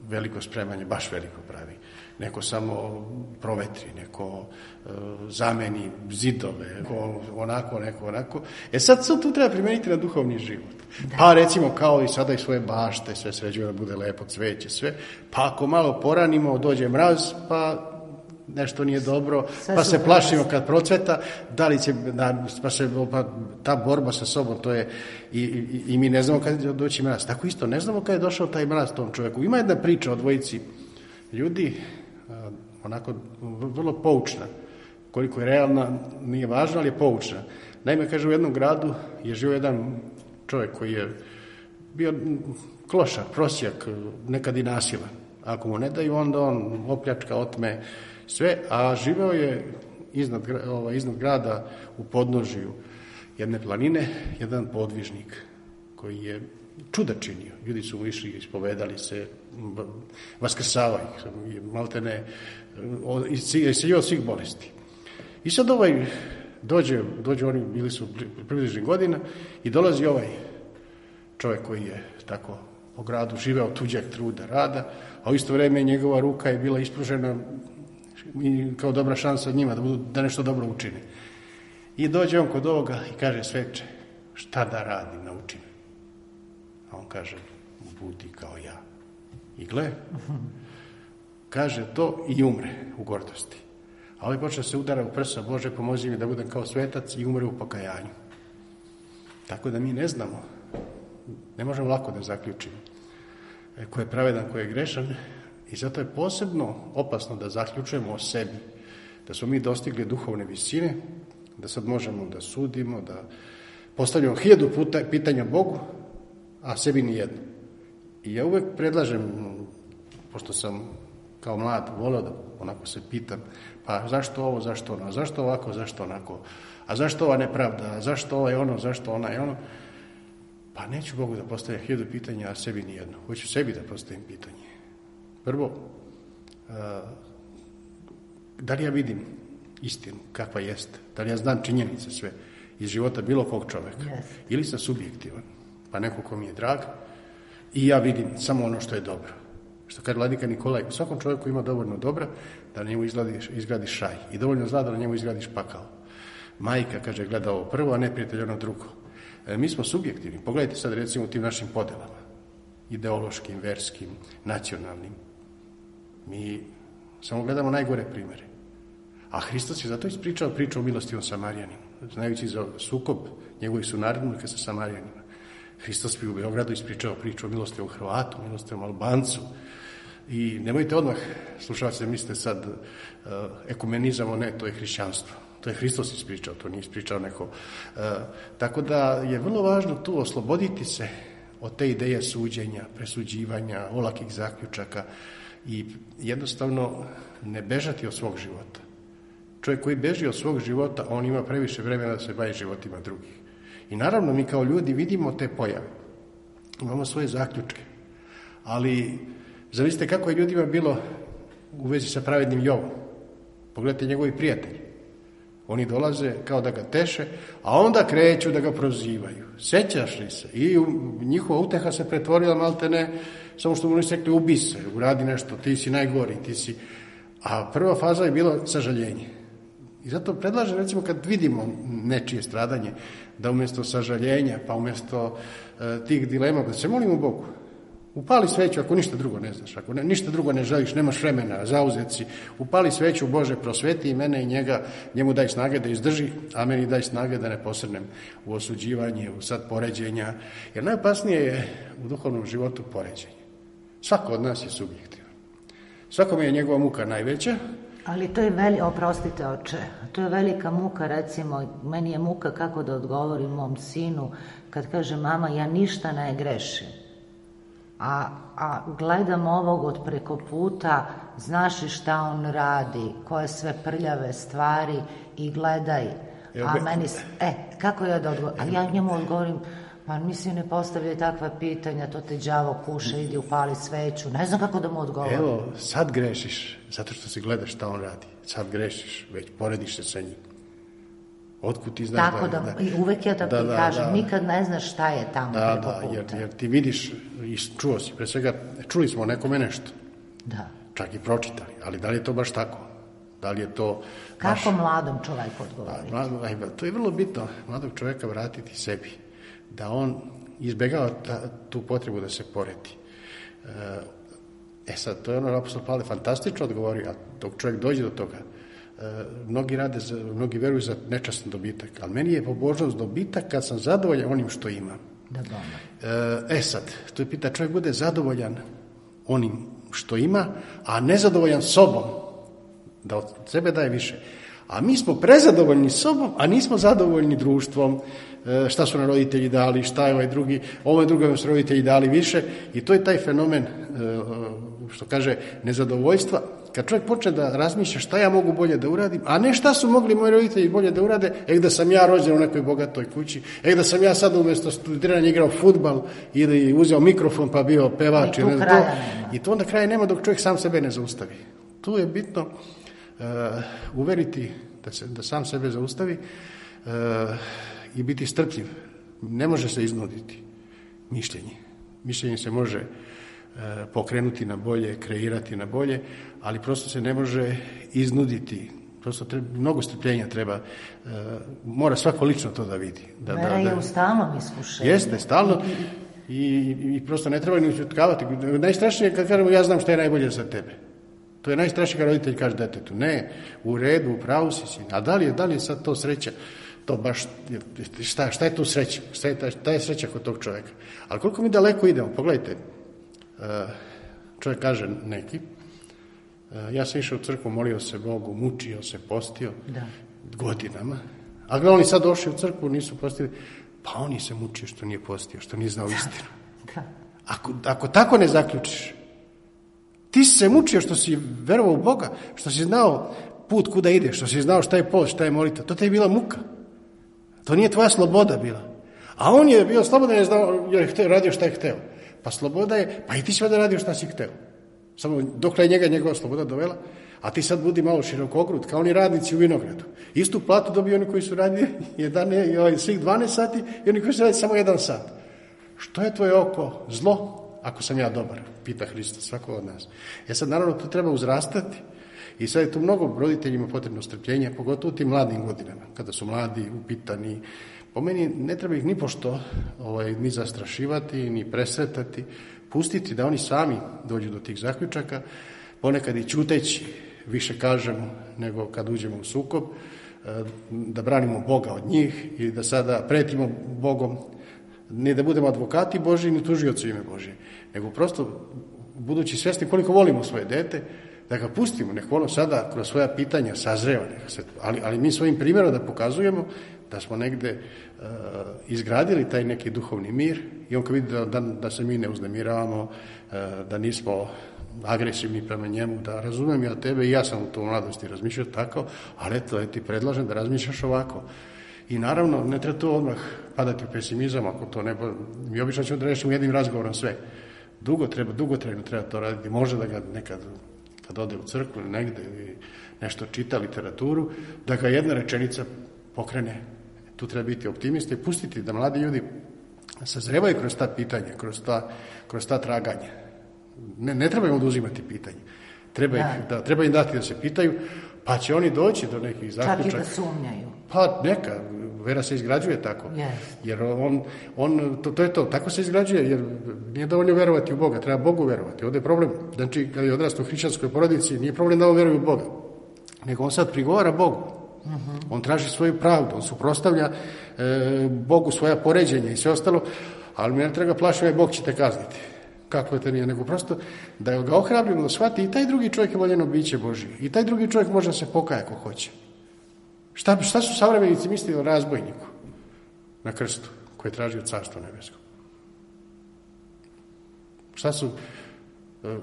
veliko spremanje, baš veliko pravi, neko samo provetri, neko e, zameni zidove, neko onako, neko onako. E sad sad tu treba primeniti na duhovni život. Da. Pa recimo kao i sada i svoje bašte, sve sređuje da bude lepo, cveće, sve. Pa ako malo poranimo, dođe mraz, pa nešto nije dobro, pa se plašimo kad procveta, da li će, da, pa se, pa ta borba sa sobom, to je, i, i, i mi ne znamo kad će doći mraz. Tako isto, ne znamo kad je došao taj mraz tom čovjeku. Ima jedna priča o dvojici ljudi, onako vrlo poučna, koliko je realna, nije važna, ali je poučna. Naime, kaže, u jednom gradu je živio jedan čovjek koji je bio klošar, prosjak, nekad i nasilan. Ako mu ne daju, onda on opljačka, otme sve, a živeo je iznad, ovaj, iznad grada u podnožju jedne planine, jedan podvižnik koji je čuda činio. Ljudi su mu išli, ispovedali se, vaskrsavaju ih, malte ne, isciljio od svih bolesti. I sad ovaj dođe, dođe oni, bili su približnih godina i dolazi ovaj čovjek koji je tako po gradu živeo tuđeg truda, rada, a u isto vrijeme njegova ruka je bila ispružena kao dobra šansa njima da, budu, da nešto dobro učine. I dođe on kod ovoga i kaže, sveče, šta da radim, nauči me. A on kaže, budi kao ja. I gle, kaže to i umre u gordosti. A ovaj počne se udara u prsa, Bože, pomozi mi da budem kao svetac, i umre u pokajanju. Tako da mi ne znamo, ne možemo lako da zaključimo ko je pravedan, ko je grešan, i zato je posebno opasno da zaključujemo o sebi, da smo mi dostigli duhovne visine, da sad možemo da sudimo, da postavljamo hiljadu puta pitanja Bogu, a sebi ni jedno. I ja uvek predlažem, pošto sam kao mlad voleo da onako se pitam, pa zašto ovo, zašto ono, zašto ovako, zašto onako, a zašto ova nepravda, a zašto ovo je ono, zašto ona je ono, pa neću Bogu da postavljam hiljadu pitanja, a sebi ni jedno. Hoću sebi da postavim pitanje. Prvo, da li ja vidim istinu kakva jeste, da li ja znam činjenice sve iz života bilo kog čoveka, yes. Ili sam subjektivan, pa neko ko mi je drag, i ja vidim samo ono što je dobro. Što kaže vladika Nikolaj, u svakom čovjeku ima dovoljno dobra da na njemu izgradiš, izgradiš šaj i dovoljno zla da na njemu izgradiš pakao. Majka, kaže, gleda ovo prvo, a ne prijatelj ono drugo. E, mi smo subjektivni. Pogledajte sad recimo u tim našim podelama, ideološkim, verskim, nacionalnim. Mi samo gledamo najgore primere. A Hristos je zato ispričao priču o milostivom Samarijaninu, znajući za sukob njegovih sunarodnika sa Samarijanima. Hristos bi u Beogradu ispričao priču o milostivom Hrvatu, milostivom Albancu. I nemojte odmah, slušalci, da mislite sad uh, ekumenizam, ne, to je hrišćanstvo. To je Hristos ispričao, to nije ispričao neko. Uh, tako da je vrlo važno tu osloboditi se od te ideje suđenja, presuđivanja, olakih zaključaka i jednostavno ne bežati od svog života. Čovjek koji beži od svog života, on ima previše vremena da se bavi životima drugih. I naravno mi kao ljudi vidimo te pojave. Imamo svoje zaključke. Ali zamislite kako je ljudima bilo u vezi sa pravednim Jovom. Pogledajte njegovi prijatelji. Oni dolaze kao da ga teše, a onda kreću da ga prozivaju. Sećaš li se? I njihova uteha se pretvorila maltene, samo što mu nisu rekli ubi se, uradi nešto, ti si najgori, ti si... A prva faza je bila sažaljenje. I zato predlažem, recimo, kad vidimo nečije stradanje, da umjesto sažaljenja, pa umjesto e, tih dilema, da se molimo Bogu. Upali sveću ako ništa drugo ne znaš, ako ne, ništa drugo ne želiš, nemaš vremena, zauzet si, upali sveću, Bože, prosveti i mene i njega, njemu daj snage da izdrži, a meni daj snage da ne posrnem u osuđivanje, u sad poređenja, jer najopasnije je u duhovnom životu poređenje. Svako od nas je subjektivan. Svakome je njegova muka najveća. Ali to je veli, oprostite oče, to je velika muka, recimo, meni je muka kako da odgovorim mom sinu kad kaže mama ja ništa ne grešim. A, a gledam ovog od preko puta, znaš li šta on radi, koje sve prljave stvari i gledaj. A meni, e, kako ja da odgovorim? A ja njemu odgovorim, pa mislim ne postavljaj takva pitanja, to te đavo kuša, idi upali sveću. Ne znam kako da mu odgovorim. Evo, sad grešiš, zato što se gledaš šta on radi. Sad grešiš, već porediš se sa njim. Otkud ti znaš tako da... da, da uvek ja tako da, da, kažem, da, nikad ne znaš šta je tamo da, preko da, puta. Jer, jer ti vidiš i čuo si, pre svega, čuli smo o nekome nešto. Da. Čak i pročitali, ali da li je to baš tako? Da li je to... Kako baš... mladom čoveku odgovoriti? Mladom, aj, to je vrlo bitno, mladog čoveka vratiti sebi. Da on izbjegava ta, tu potrebu da se poredi. E sad, to je ono apostol Pavle fantastično odgovorio, a dok čovjek dođe do toga, e, mnogi rade, za, mnogi veruju za nečastan dobitak, ali meni je pobožnost dobitak kad sam zadovoljan onim što imam. Da, e, e sad, to je pita, čovjek bude zadovoljan onim što ima, a nezadovoljan sobom, da od sebe daje više. A mi smo prezadovoljni sobom, a nismo zadovoljni društvom, šta su nam roditelji dali, šta je ovaj drugi, ovaj drugi su roditelji dali više i to je taj fenomen, što kaže, nezadovoljstva. Kad čovjek počne da razmišlja šta ja mogu bolje da uradim, a ne šta su mogli moji roditelji bolje da urade, e da sam ja rođen u nekoj bogatoj kući, e da sam ja sad umjesto studiranja igrao fudbal ili uzeo mikrofon pa bio pevač. I tu ne, kraja to, nema. I to onda kraja nema dok čovjek sam sebe ne zaustavi. Tu je bitno uh, uveriti da, se, da sam sebe zaustavi uh, i biti strpljiv. Ne može se iznuditi mišljenje. Mišljenje se može uh, pokrenuti na bolje, kreirati na bolje, ali prosto se ne može iznuditi. Prosto treba, mnogo strpljenja treba. Uh, mora svako lično to da vidi. Da, Vera da, da, je u stalnom iskušenju. Jeste, stalno. I, i, i prosto ne treba ni ućutkavati. Najstrašnije je kad kažemo ja znam šta je najbolje za tebe. To je najstrašnije kad roditelj kaže detetu. Ne, u redu, u pravu si si. A da li je, da li je sad to sreća? To baš, šta, šta je tu sreća? Šta je, šta je sreća kod tog čovjeka? Ali koliko mi daleko idemo? Pogledajte, čovjek kaže neki, ja sam išao u crkvu, molio se Bogu, mučio se, postio da. godinama. A gledali sad došli u crkvu, nisu postili. Pa on je se mučio što nije postio, što nije znao istinu. Da. Ako, ako tako ne zaključiš, ti si se mučio što si verovao u Boga, što si znao put kuda ideš, što si znao šta je post, šta je molitva. To te je bila muka. To nije tvoja sloboda bila. A on je bio slobodan jer je znao, jer je hteo, radio šta je hteo. Pa sloboda je, pa i ti si vada radio šta si hteo. Samo dok je njega njegova sloboda dovela, a ti sad budi malo širokogrud, kao oni radnici u vinogradu. Istu platu dobiju oni koji su radili jedan, svih dvanaest sati i oni koji su radili samo jedan sat. Što je tvoje oko zlo, ako sam ja dobar? Pita Hristos, svako od nas. Ja sad naravno to treba uzrastati i sad je tu mnogo roditeljima potrebno strpljenje, pogotovo u tim mladim godinama, kada su mladi, upitani. Po meni ne treba ih ni pošto ovaj, ni zastrašivati, ni presretati, pustiti da oni sami dođu do tih zaključaka, ponekad i ćuteći više kažemo nego kad uđemo u sukob, da branimo Boga od njih i da sada pretimo Bogom, ne da budemo advokati Božji ni tužioci ime Božje, nego prosto budući svjesni koliko volimo svoje dete, da ga pustimo, nek ono sada kroz svoja pitanja sazreva, se, ali, ali mi svojim primjerom da pokazujemo da smo negde uh, izgradili taj neki duhovni mir i on kad vidi da, da, da se mi ne uznemiravamo, uh, da nismo agresivni prema njemu, da razumijem ja tebe i ja sam u to mladosti razmišljao tako, ali eto, ti predlažem da razmišljaš ovako. I naravno, ne treba to odmah padati u pesimizam, ako to ne... Mi obično ćemo da rešimo jednim razgovorom sve. Dugo treba, dugotrajno treba to raditi. Može da ga nekad, kad ode u crkvu ili negde, ili nešto čita literaturu, da ga jedna rečenica pokrene. Tu treba biti optimista i pustiti da mladi ljudi sazrevaju kroz ta pitanja, kroz ta, kroz ta traganja. Ne, ne treba im oduzimati pitanje. Treba, ih, da, treba im dati da se pitaju, Pa će oni doći do nekih zaključaka. Čak i da sumnjaju. Pa neka, vera se izgrađuje tako. Yes. Jer on, on to, to je to, tako se izgrađuje, jer nije dovoljno verovati u Boga, treba Bogu verovati. Ovdje je problem, znači kad je odrastao u hrišćanskoj porodici, nije problem da on veruje u Boga, nego on sad prigovara Bogu. Uh-huh. On traži svoju pravdu, on suprotstavlja e, Bogu svoja poređenja i sve ostalo, ali mi ne treba plašiti, ovaj Bog će te kazniti. Kako je to nije, nego prosto da ga ohrabrimo da shvati i taj drugi čovjek je voljeno biće Božije. I taj drugi čovjek može da se pokaje ako hoće. Šta, šta su savremenici mislili o razbojniku na krstu koji je tražio carstvo nebesko? Šta su,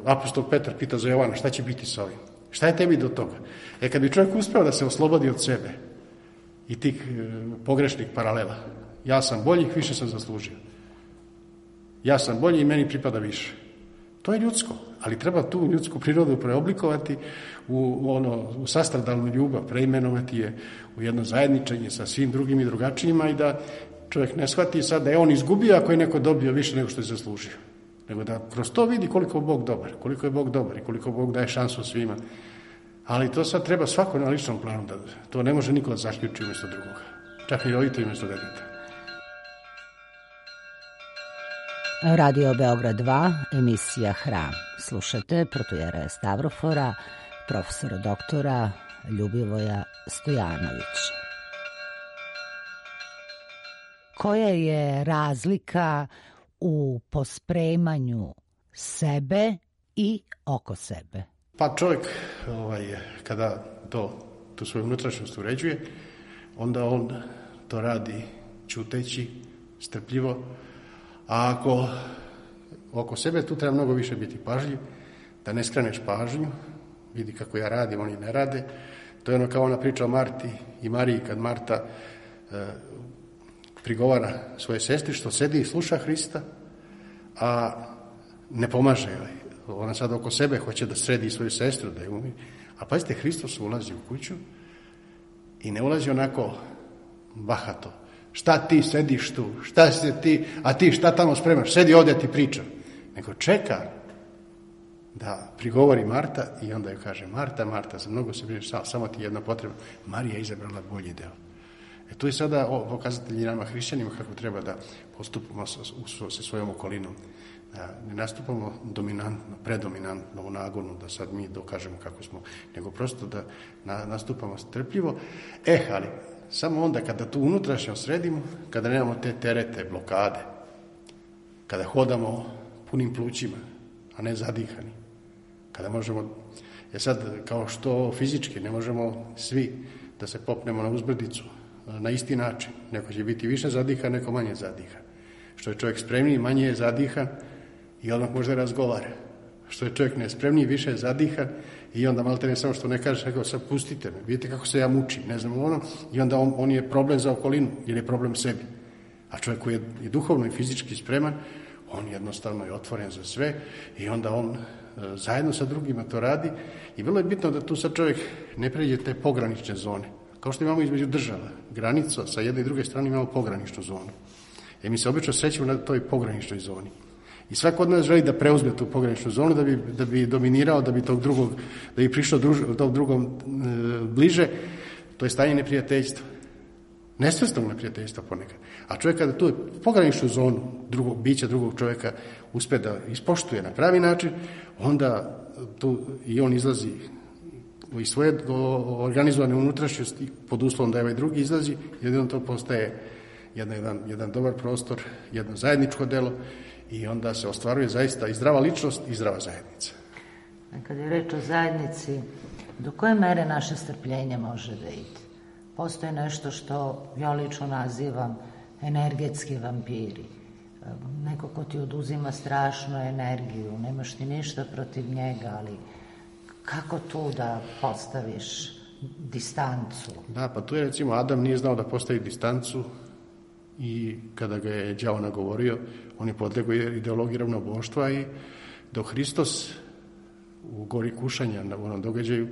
apostol Petar pita za Jovana, šta će biti sa ovim? Šta je tebi do toga? E kad bi čovjek uspeo da se oslobodi od sebe i tih e, pogrešnih paralela, ja sam bolji, više sam zaslužio. Ja sam bolji i meni pripada više. To je ljudsko, ali treba tu ljudsku prirodu preoblikovati u, u, ono, u sastradalnu ljubav, preimenovati je u jedno zajedničenje sa svim drugim i drugačijima i da čovjek ne shvati sad da je on izgubio ako je neko dobio više nego što je zaslužio. Nego da kroz to vidi koliko je Bog dobar, koliko je Bog dobar i koliko Bog daje šansu svima. Ali to sad treba svako na ličnom planu, da to ne može niko da zaključi umjesto drugoga. Čak i roditelj umjesto deteta. Radio Beograd dva, emisija Hram. Slušate protujera Stavrofora, profesora doktora Ljubivoja Stojanovića. Koja je razlika u pospremanju sebe i oko sebe? Pa čovjek, ovaj, kada to, tu svoju unutrašnjost uređuje, onda on to radi ćuteći, strpljivo, a ako oko sebe tu treba mnogo više biti pažljiv, da ne skreneš pažnju, vidi kako ja radim, oni ne rade. To je ono kao ona priča o Marti i Mariji, kad Marta e, prigovara svoje sestri što sedi i sluša Hrista, a ne pomaže joj. Ona sad oko sebe hoće da sredi svoju sestru, da je umi. A pazite, Hristos ulazi u kuću i ne ulazi onako bahato. Šta ti sediš tu? Šta se ti, a ti šta tamo spremaš? Sedi ovdje, ti pričam. Nego čeka da prigovori Marta i onda joj kaže, Marta, Marta, za mnogo se brineš, samo ti jedna potreba. Marija je izabrala bolji deo. E tu je sada pokazatelji nama hrišćanima kako treba da postupamo sa, sa svojom okolinom. Da ne nastupamo dominantno, predominantno u nagonu, da sad mi dokažemo kako smo, nego prosto da na, nastupamo strpljivo. Eh, ali samo onda kada tu unutrašnjo sredimo, kada nemamo te terete, blokade, kada hodamo punim plućima, a ne zadihani, kada možemo, je sad kao što fizički ne možemo svi da se popnemo na uzbrdicu na isti način, neko će biti više zadiha, neko manje zadiha. Što je čovjek spremniji, manje je zadiha i odmah možda razgovara. Što je čovjek nespremniji, više je zadiha i onda malte ne samo što ne kaže, nego sad pustite me, vidite kako se ja mučim, ne znam ono, i onda on, on je problem za okolinu, jer je problem sebi. A čovjek koji je i duhovno i fizički spreman, on jednostavno je otvoren za sve i onda on e, zajedno sa drugima to radi i vrlo je bitno da tu sad čovjek ne pređe te pogranične zone. Kao što imamo između država, granica, sa jedne i druge strane imamo pograničnu zonu. I mi se obično srećemo na toj pograničnoj zoni. I svako od nas želi da preuzme tu pograničnu zonu, da bi, da bi dominirao, da bi tog drugog, da bi prišao druž, tog drugom e, bliže. To je stanje neprijateljstva. Nesvrsnog neprijateljstva ponekad. A čovjek kada tu pograničnu zonu drugog bića, drugog čovjeka uspe da ispoštuje na pravi način, onda tu i on izlazi iz svoje organizovane unutrašnjosti pod uslovom da je ovaj drugi izlazi, jedino to postaje jedan, jedan, jedan dobar prostor, jedno zajedničko delo i onda se ostvaruje zaista i zdrava ličnost i zdrava zajednica. Kad je reč o zajednici, do koje mere naše strpljenje može da ide? Postoje nešto što ja lično nazivam energetski vampiri. Neko ko ti oduzima strašnu energiju, nemaš ti ništa protiv njega, ali kako tu da postaviš distancu? Da, pa tu je recimo Adam nije znao da postavi distancu i kada ga je đavo nagovorio, on je podlegao ideologiji ravnoboštva i dok Hristos u gori kušanja na onom događaju,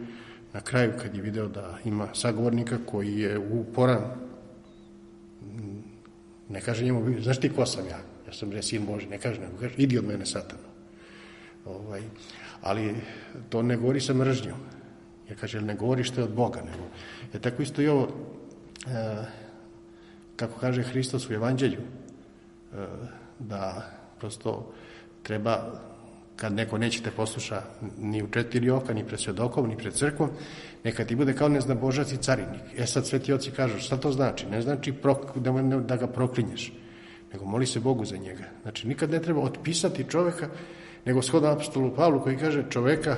na kraju kad je video da ima sagovornika koji je uporan, ne kaže njemu, znaš ti ko sam ja? Ja sam re sin Boži, ne kaže, nego kaže, idi od mene satanu. Ovaj, ali to ne govori sa mržnjom, Jer kaže, ne govori što je od Boga. Nego. Je tako isto i ovo, e, kako kaže Hristos u Evanđelju, e, da prosto treba, kad neko neće te posluša ni u četiri oka, ni pred svedokom, ni pred crkvom, neka ti bude kao neznabožac i carinik. E sad sveti oci kažu, šta to znači? Ne znači prok, da, da ga proklinješ, nego moli se Bogu za njega. Znači, nikad ne treba otpisati čoveka, nego shodno apostolu Pavlu koji kaže, čoveka,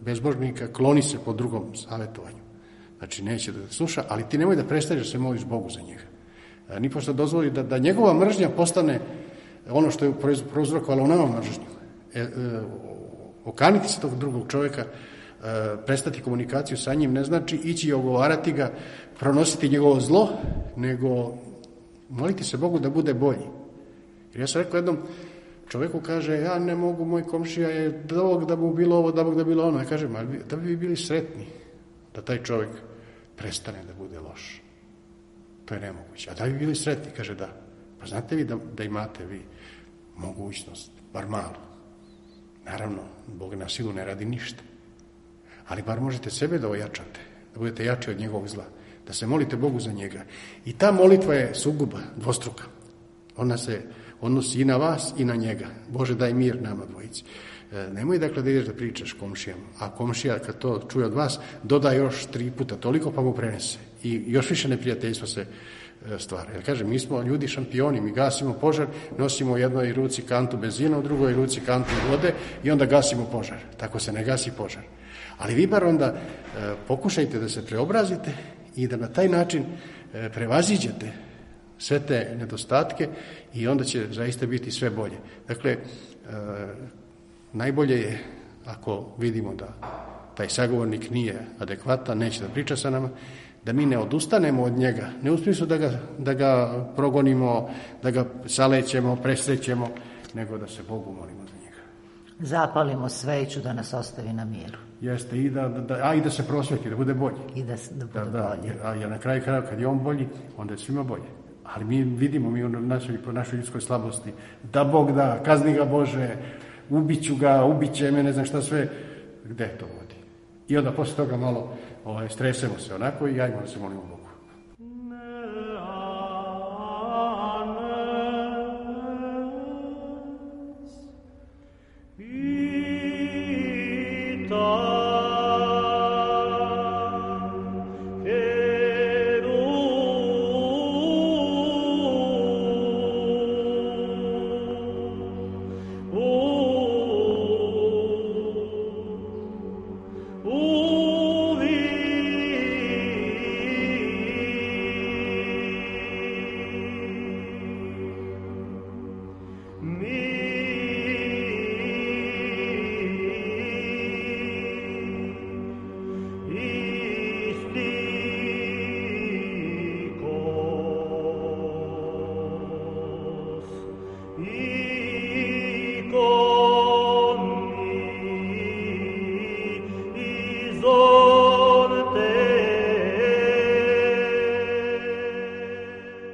bezbožnika, kloni se po drugom savjetovanju. Znači, neće da sluša, ali ti nemoj da prestaneš da se moliš Bogu za njega. A, ni pošto dozvoli da, da njegova mržnja postane ono što je prouzrokovalo u nama mržnju. E, e, okaniti se tog drugog čovjeka, e, prestati komunikaciju sa njim, ne znači ići i ogovarati ga, pronositi njegovo zlo, nego moliti se Bogu da bude bolji. Jer ja sam rekao jednom čovjeku, kaže, ja ne mogu, moj komšija je da da mu bilo ovo, da Bog da bilo ono. Ja kažem, ali da bi bili sretni da taj čovjek prestane da bude loš. To je nemoguće. A da bi bili sretni, kaže da. Pa znate vi da, da imate vi mogućnost, bar malo. Naravno, Bog na silu ne radi ništa. Ali bar možete sebe da ojačate, da budete jači od njegovog zla, da se molite Bogu za njega. I ta molitva je suguba, dvostruka. Ona se odnosi i na vas i na njega. Bože, daj mir nama dvojici. E, nemoj dakle da ideš da pričaš komšijama, a komšija kad to čuje od vas, doda još tri puta toliko pa mu prenese. I još više neprijateljstva se e, stvara. Jer kaže, mi smo ljudi šampioni, mi gasimo požar, nosimo u jednoj ruci kantu benzina, u drugoj ruci kantu vode i onda gasimo požar. Tako se ne gasi požar. Ali vi bar onda e, pokušajte da se preobrazite i da na taj način e, prevaziđete sve te nedostatke i onda će zaista biti sve bolje. Dakle, e, najbolje je ako vidimo da taj sagovornik nije adekvatan, neće da priča sa nama, da mi ne odustanemo od njega, ne u smislu da ga, da ga progonimo, da ga salećemo, presrećemo, nego da se Bogu molimo za njega. Zapalimo sveću da nas ostavi na miru. Jeste, i da, da, a i da se prosveti, da bude bolji. I da, da bude da, da, bolji. A ja na kraju krajeva, kad je on bolji, onda je svima bolje. Ali mi vidimo, mi u našoj, po našoj ljudskoj slabosti, da Bog da, kazni ga Bože, ubiću ga, ubiće me, ne znam šta sve, gde to vodi? I onda posle toga malo ovaj, stresemo se onako i ajmo da se molimo Bogu.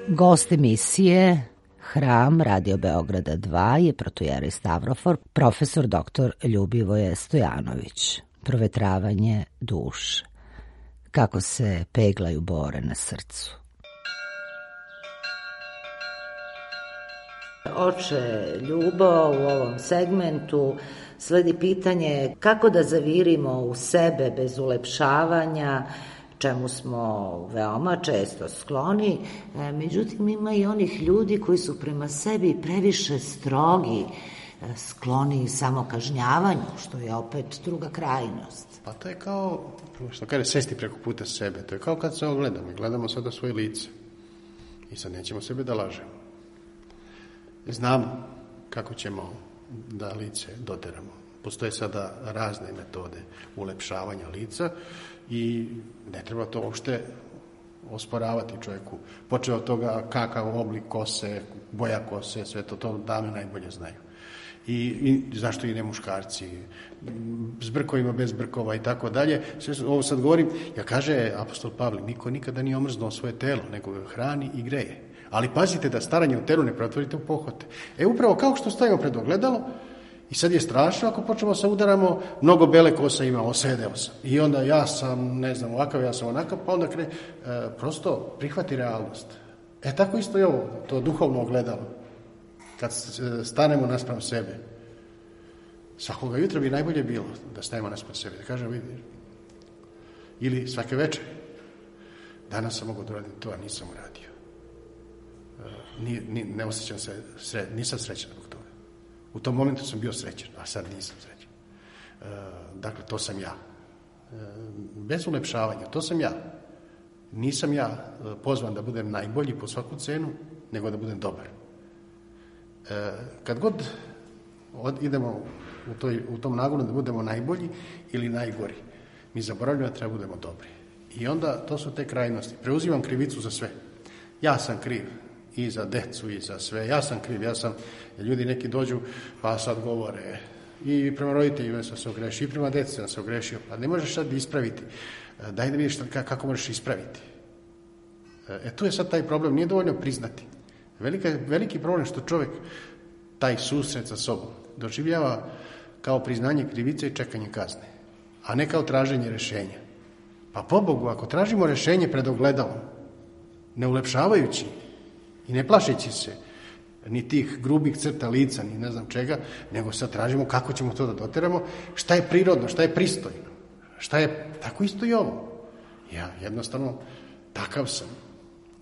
Gost emisije Hram Radio Beograda dva je protojerej Stavrofor, profesor doktor Ljubivoje Stojanović. Provetravanje duše. Kako se peglaju bore na srcu. Oče Ljubo, u ovom segmentu sledi pitanje kako da zavirimo u sebe bez ulepšavanja, čemu smo veoma često skloni. E, međutim, ima i onih ljudi koji su prema sebi previše strogi, e, skloni samokažnjavanju, što je opet druga krajnost. Pa to je kao, što kaže, sesti preko puta sebe. To je kao kad se ogledamo i gledamo sada svoje lice. I sad nećemo sebe da lažemo. Znamo kako ćemo da lice doteramo. Postoje sada razne metode ulepšavanja lica i ne treba to uopšte osporavati čovjeku. Počeo od toga kakav oblik kose, boja kose, sve to, to dame najbolje znaju. I, i zašto i ne muškarci, s brkovima, bez brkova i tako dalje. Sve ovo sad govorim, ja kaže apostol Pavle, niko nikada nije omrznuo svoje telo, nego ga hrani i greje. Ali pazite da staranje u telu ne pretvorite u pohote. E upravo kao što stajemo pred ogledalo I sad je strašno ako počnemo se udaramo, mnogo bele kose ima, osedeo sam. I onda ja sam, ne znam, ovakav, ja sam onakav, pa onda kre, e, prosto prihvati realnost. E tako isto je ovo, to duhovno ogledalo. Kad stanemo naspram sebe, svakoga jutra bi najbolje bilo da stanemo naspram sebe, da kažem, vidi, ili svake večeri, danas sam mogao da uradim to, a nisam uradio. E, ni, ni, ne osjećam se, sre, nisam srećan zbog toga. U tom momentu sam bio srećan, a sad nisam srećan. E, dakle, to sam ja. E, bez ulepšavanja, to sam ja. Nisam ja pozvan da budem najbolji po svaku cenu, nego da budem dobar. E, kad god od, idemo u, toj, u tom nagonu da budemo najbolji ili najgori, mi zaboravljamo da treba budemo dobri. I onda to su te krajnosti. Preuzimam krivicu za sve. Ja sam kriv i za decu i za sve. Ja sam kriv, ja sam, ljudi neki dođu pa sad govore i prema roditeljima sam se ogrešio i prema deci sam se ogrešio. Pa ne možeš sad ispraviti. Daj da vidiš kako možeš ispraviti. E tu je sad taj problem, nije dovoljno priznati. Velika, veliki problem što čovjek taj susret sa sobom doživljava kao priznanje krivice i čekanje kazne, a ne kao traženje rješenja. Pa pobogu, ako tražimo rješenje pred ogledalom, ne ulepšavajući i ne plašeći se ni tih grubih crta lica, ni ne znam čega, nego sad tražimo kako ćemo to da doteramo, šta je prirodno, šta je pristojno, šta je, tako isto i ovo. Ja jednostavno takav sam.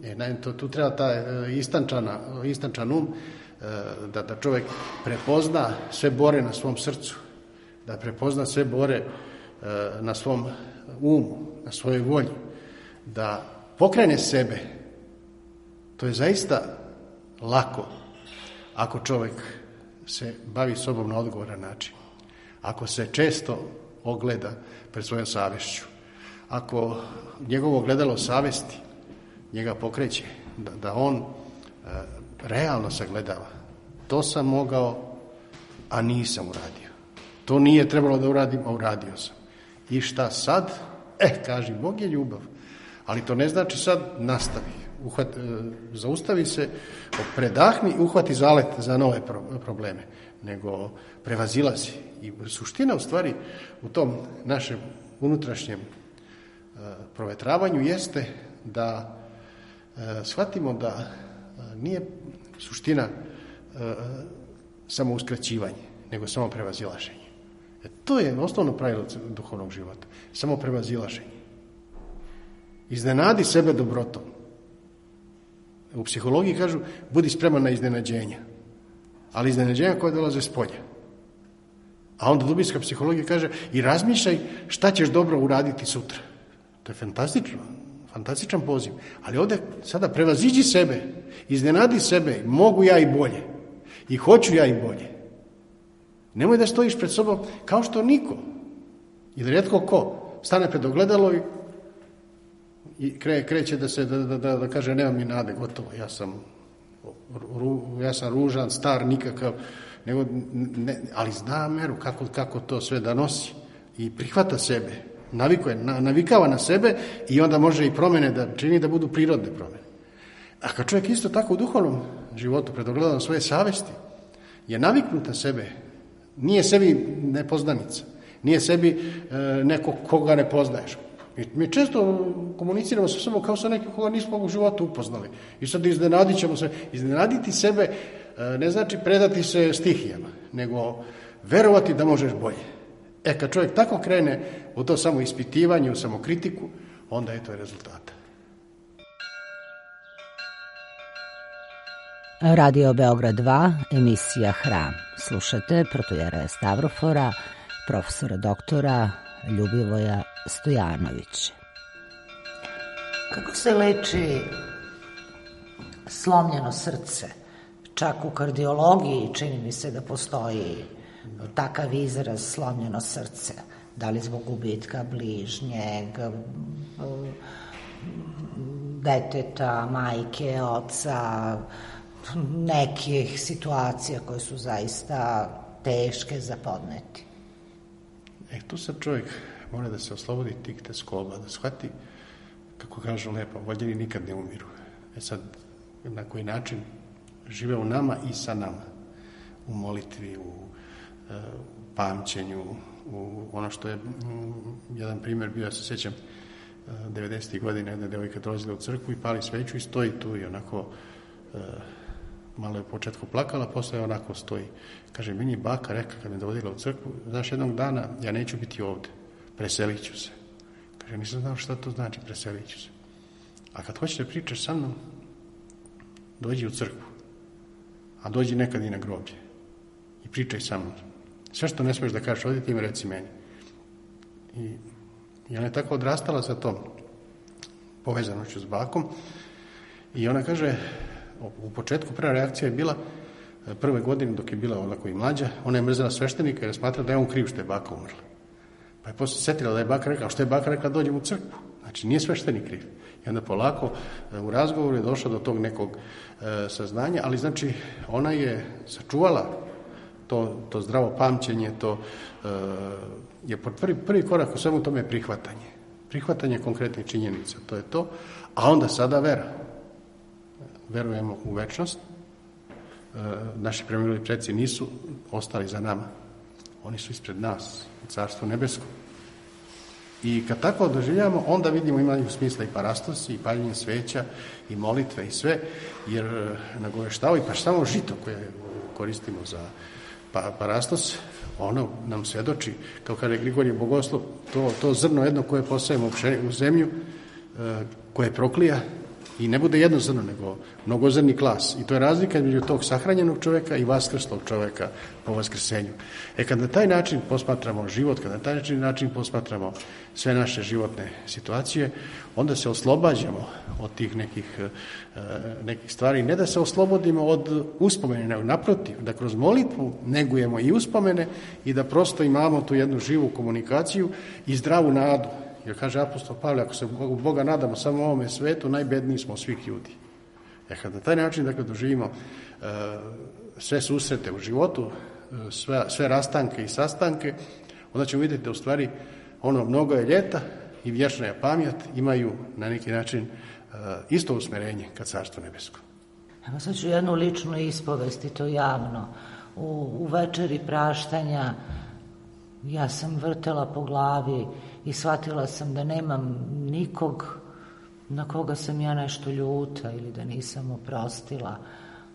E, to, tu treba ta istančana, istančan um, da, da čovjek prepozna sve bore na svom srcu, da prepozna sve bore na svom umu, na svojoj volji, da pokrene sebe. To je zaista lako ako čovjek se bavi sobom na odgovoran način, ako se često ogleda pred svojom savješću, ako njegovo ogledalo savjesti njega pokreće, da, da on e, realno sagledava. To sam mogao, a nisam uradio. To nije trebalo da uradim, a uradio sam. I šta sad? E, kaži, Bog je ljubav. Ali to ne znači sad nastavi. Uhvat, e, zaustavi se, predahni i uhvati zalet za nove pro, probleme. Nego prevazilazi. I suština u stvari u tom našem unutrašnjem e, provetravanju jeste da e, shvatimo da e, nije suština e, samo uskraćivanje, nego samo prevazilaženje. E, to je osnovno pravilo duhovnog života. Samo prevazilaženje. Iznenadi sebe dobrotom. U psihologiji kažu, budi spreman na iznenađenja. Ali iznenađenja koje dolaze s polja. A onda dubinska psihologija kaže, i razmišljaj šta ćeš dobro uraditi sutra. To je fantastično, fantastičan poziv. Ali ovdje sada prevaziđi sebe, iznenadi sebe, mogu ja i bolje. I hoću ja i bolje. Nemoj da stojiš pred sobom kao što niko. Ili rijetko ko stane pred ogledalo i, i kre, kreće da se da, da, da, da kaže nema mi nade, gotovo, ja sam, ru, ja sam ružan, star, nikakav, nego, ne, ali zna meru kako, kako to sve da nosi i prihvata sebe, navikuje, na, navikava na sebe i onda može i promjene da čini da budu prirodne promjene. A kad čovjek isto tako u duhovnom životu pred ogledalom svoje savjesti je naviknut na sebe, nije sebi nepoznanica, nije sebi e, neko koga ne poznaješ. Mi, mi često komuniciramo sa sobom kao sa nekim koga nismo u životu upoznali. I sad iznenadit ćemo se. Iznenaditi sebe e, ne znači predati se stihijama, nego verovati da možeš bolje. E, kad čovjek tako krene u to samo ispitivanje, u samokritiku, onda je to rezultata. Radio Beograd dva, emisija Hram. Slušate protojera Stavrofora, profesora doktora Ljubivoja Stojanovića. Kako se leči slomljeno srce? Čak u kardiologiji čini mi se da postoji takav izraz slomljeno srce. Da li zbog gubitka bližnjeg, deteta, majke, oca, nekih situacija koje su zaista teške za podneti. E, tu sad čovjek mora da se oslobodi tih teskoba, da shvati, kako kažu lepo, voljeni nikad ne umiru. E sad, na koji način žive u nama i sa nama. U molitvi, u pamćenju, u ono što je jedan primjer bio, ja se sjećam, devedesetih godina jedna devojka dolazila u crkvu i pali sveću i stoji tu i onako malo je u početku plakala, posle onako stoji. Kaže, meni je baka rekla kad me dovodila u crkvu, znaš, jednog dana ja neću biti ovde, preselit ću se. Kaže, nisam znao šta to znači, preselit ću se. A kad hoćeš da pričaš sa mnom, dođi u crkvu, a dođi nekad i na groblje i pričaj sa mnom. Sve što ne smiješ da kažeš ovdje, ti mi reci meni. I, i ona je tako odrastala sa tom povezanošću s bakom i ona kaže, u početku prva reakcija je bila, prve godine dok je bila onako i mlađa, ona je mrzela sveštenika jer je smatrala da je on kriv što je baka umrla. Pa je posle setila da je baka rekla, a što je baka rekla, dođem u crkvu. Znači, nije sveštenik kriv. I onda polako u razgovoru je došla do tog nekog e, saznanja, ali znači ona je sačuvala to, to zdravo pamćenje, to e, je prvi, prvi korak u svemu tome je prihvatanje. Prihvatanje konkretnih činjenica, to je to. A onda sada vera. Verujemo u večnost. E, naši preminuli preci nisu ostali za nama. Oni su ispred nas, u Carstvu nebesko. I kad tako doživljamo, onda vidimo imaju smisla i parastosi, i paljenje sveća, i molitve, i sve, jer nagoveštavaju, pa samo žito koje koristimo za parastos, ono nam svedoči, kao kada je Grigorije Bogoslov, to, to zrno jedno koje posajemo u zemlju, koje proklija, i ne bude jedno zrno, nego mnogozrni klas. I to je razlika između tog sahranjenog čovjeka i vaskrslog čovjeka po vaskrsenju. E kad na taj način posmatramo život, kad na taj način, način posmatramo sve naše životne situacije, onda se oslobađamo od tih nekih, nekih stvari. Ne da se oslobodimo od uspomene, nego naprotiv, da kroz molitvu negujemo i uspomene i da prosto imamo tu jednu živu komunikaciju i zdravu nadu. Jer kaže apostol Pavle, ako se Boga nadamo samo ovome svetu, najbedniji smo svih ljudi. Jer kad na taj način dakle, doživimo uh, sve susrete u životu, uh, sve, sve rastanke i sastanke, onda ćemo vidjeti da u stvari ono mnogo je ljeta i vječna je pamjet, imaju na neki način uh, isto usmerenje kad Carstvo nebesko. Evo sad ću jednu ličnu ispovest i to javno. U, u večeri praštanja ja sam vrtela po glavi i shvatila sam da nemam nikog na koga sam ja nešto ljuta ili da nisam oprostila.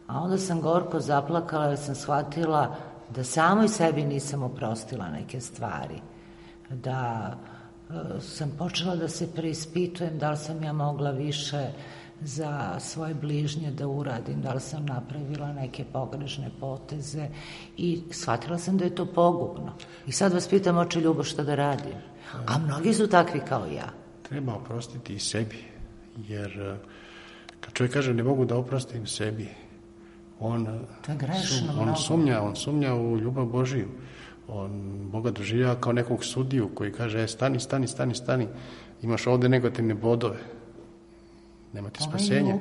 A onda sam gorko zaplakala jer sam shvatila da samoj sebi nisam oprostila neke stvari. Da e, sam počela da se preispitujem da li sam ja mogla više za svoje bližnje da uradim, da li sam napravila neke pogrešne poteze i shvatila sam da je to pogubno. I sad vas pitam, oče Ljubo, šta da radim? A mnogi su takvi kao ja. Treba oprostiti i sebi, jer kad čovjek kaže ne mogu da oprostim sebi, on, to je grešno, sum, on sumnja, on sumnja u ljubav Božiju. On Boga doživljava kao nekog sudiju koji kaže e, stani, stani, stani, stani, imaš ovde negativne bodove. Nema ti spasenja.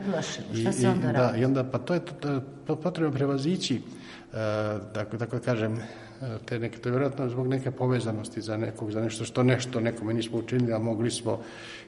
I, šta se onda i, radi? Da, i onda, pa to je to, to potrebno prevazići, uh, tako, tako kažem, te neke, to je vjerojatno zbog neke povezanosti za nekog, za nešto što nešto nekome nismo učinili, a mogli smo.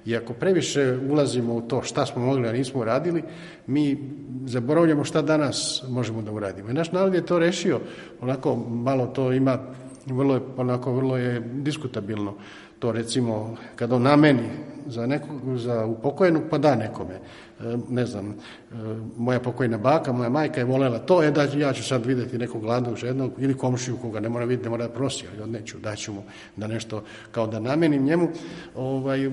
I ako previše ulazimo u to šta smo mogli, a nismo uradili, mi zaboravljamo šta danas možemo da uradimo. I naš narod je to rešio, onako malo to ima, vrlo je, onako vrlo je diskutabilno. To recimo, kada on nameni za nekog, za upokojenog, pa da nekome. E, ne znam, e, moja pokojna baka, moja majka je volela to, e da ja ću sad vidjeti nekog gladnog, žednog ili komšiju koga ne mora vidjeti, ne mora da prosi, ali odneću, daću mu da nešto, kao da namenim njemu. Ovaj,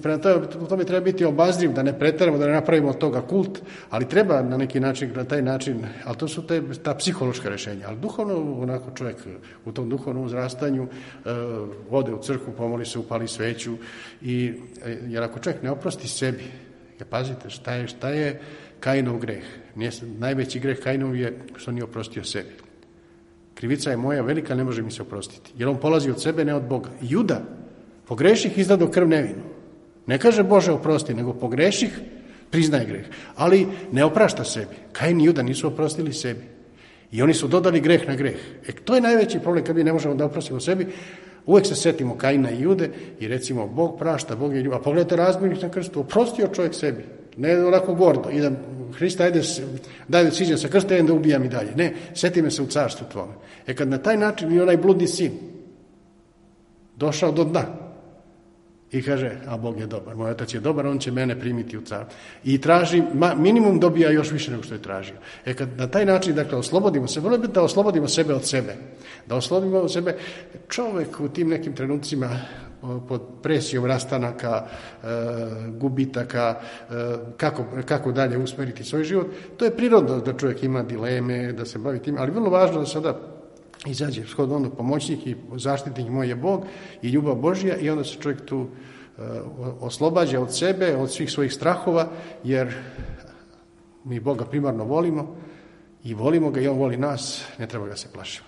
prema to, to bi treba biti obazriv, da ne preteramo, da ne napravimo od toga kult, ali treba na neki način, na taj način, ali to su te, ta psihološka rješenja. Ali duhovno, onako čovjek u tom duhovnom uzrastanju e, ode u crkvu, pomoli se, upali sveću, i, jer ako čovjek ne oprosti sebi, ja pazite šta je, šta je Kainov greh. Nije, najveći greh Kainov je što nije oprostio sebi. Krivica je moja velika, ne može mi se oprostiti. Jer on polazi od sebe, ne od Boga. Juda, pogreših izdado krv nevinu. Ne kaže Bože oprosti, nego pogreših priznaje greh. Ali ne oprašta sebi. Kain i Juda nisu oprostili sebi. I oni su dodali greh na greh. E, to je najveći problem kad mi ne možemo da oprostimo sebi. Uvijek se setimo Kaina i Jude i recimo Bog prašta, Bog je ljubav. A pogledajte razbojnik na krstu, oprostio čovjek sebi. Ne onako gordo, idem Hrista, ajde, daj da siđem sa krsta, da ubijam i dalje. Ne, seti me se u carstvu tvome. E kad na taj način i onaj bludni sin došao do dna i kaže, a Bog je dobar, moj otac je dobar, on će mene primiti u car. I traži, ma, minimum dobija još više nego što je tražio. E kad na taj način, dakle, oslobodimo se, vrlo je bitno da oslobodimo sebe od sebe. Da oslobodimo od sebe čovjek u tim nekim trenucima pod presijom rastanaka, e, gubitaka, e, kako, kako dalje usmeriti svoj život. To je prirodno da čovjek ima dileme, da se bavi tim, ali vrlo važno da sada izađe shodno ono pomoćnik i zaštitnik moj je Bog i ljubav Božja i onda se čovjek tu e, oslobađa od sebe, od svih svojih strahova, jer mi Boga primarno volimo i volimo ga i on voli nas, ne treba ga se plašiti.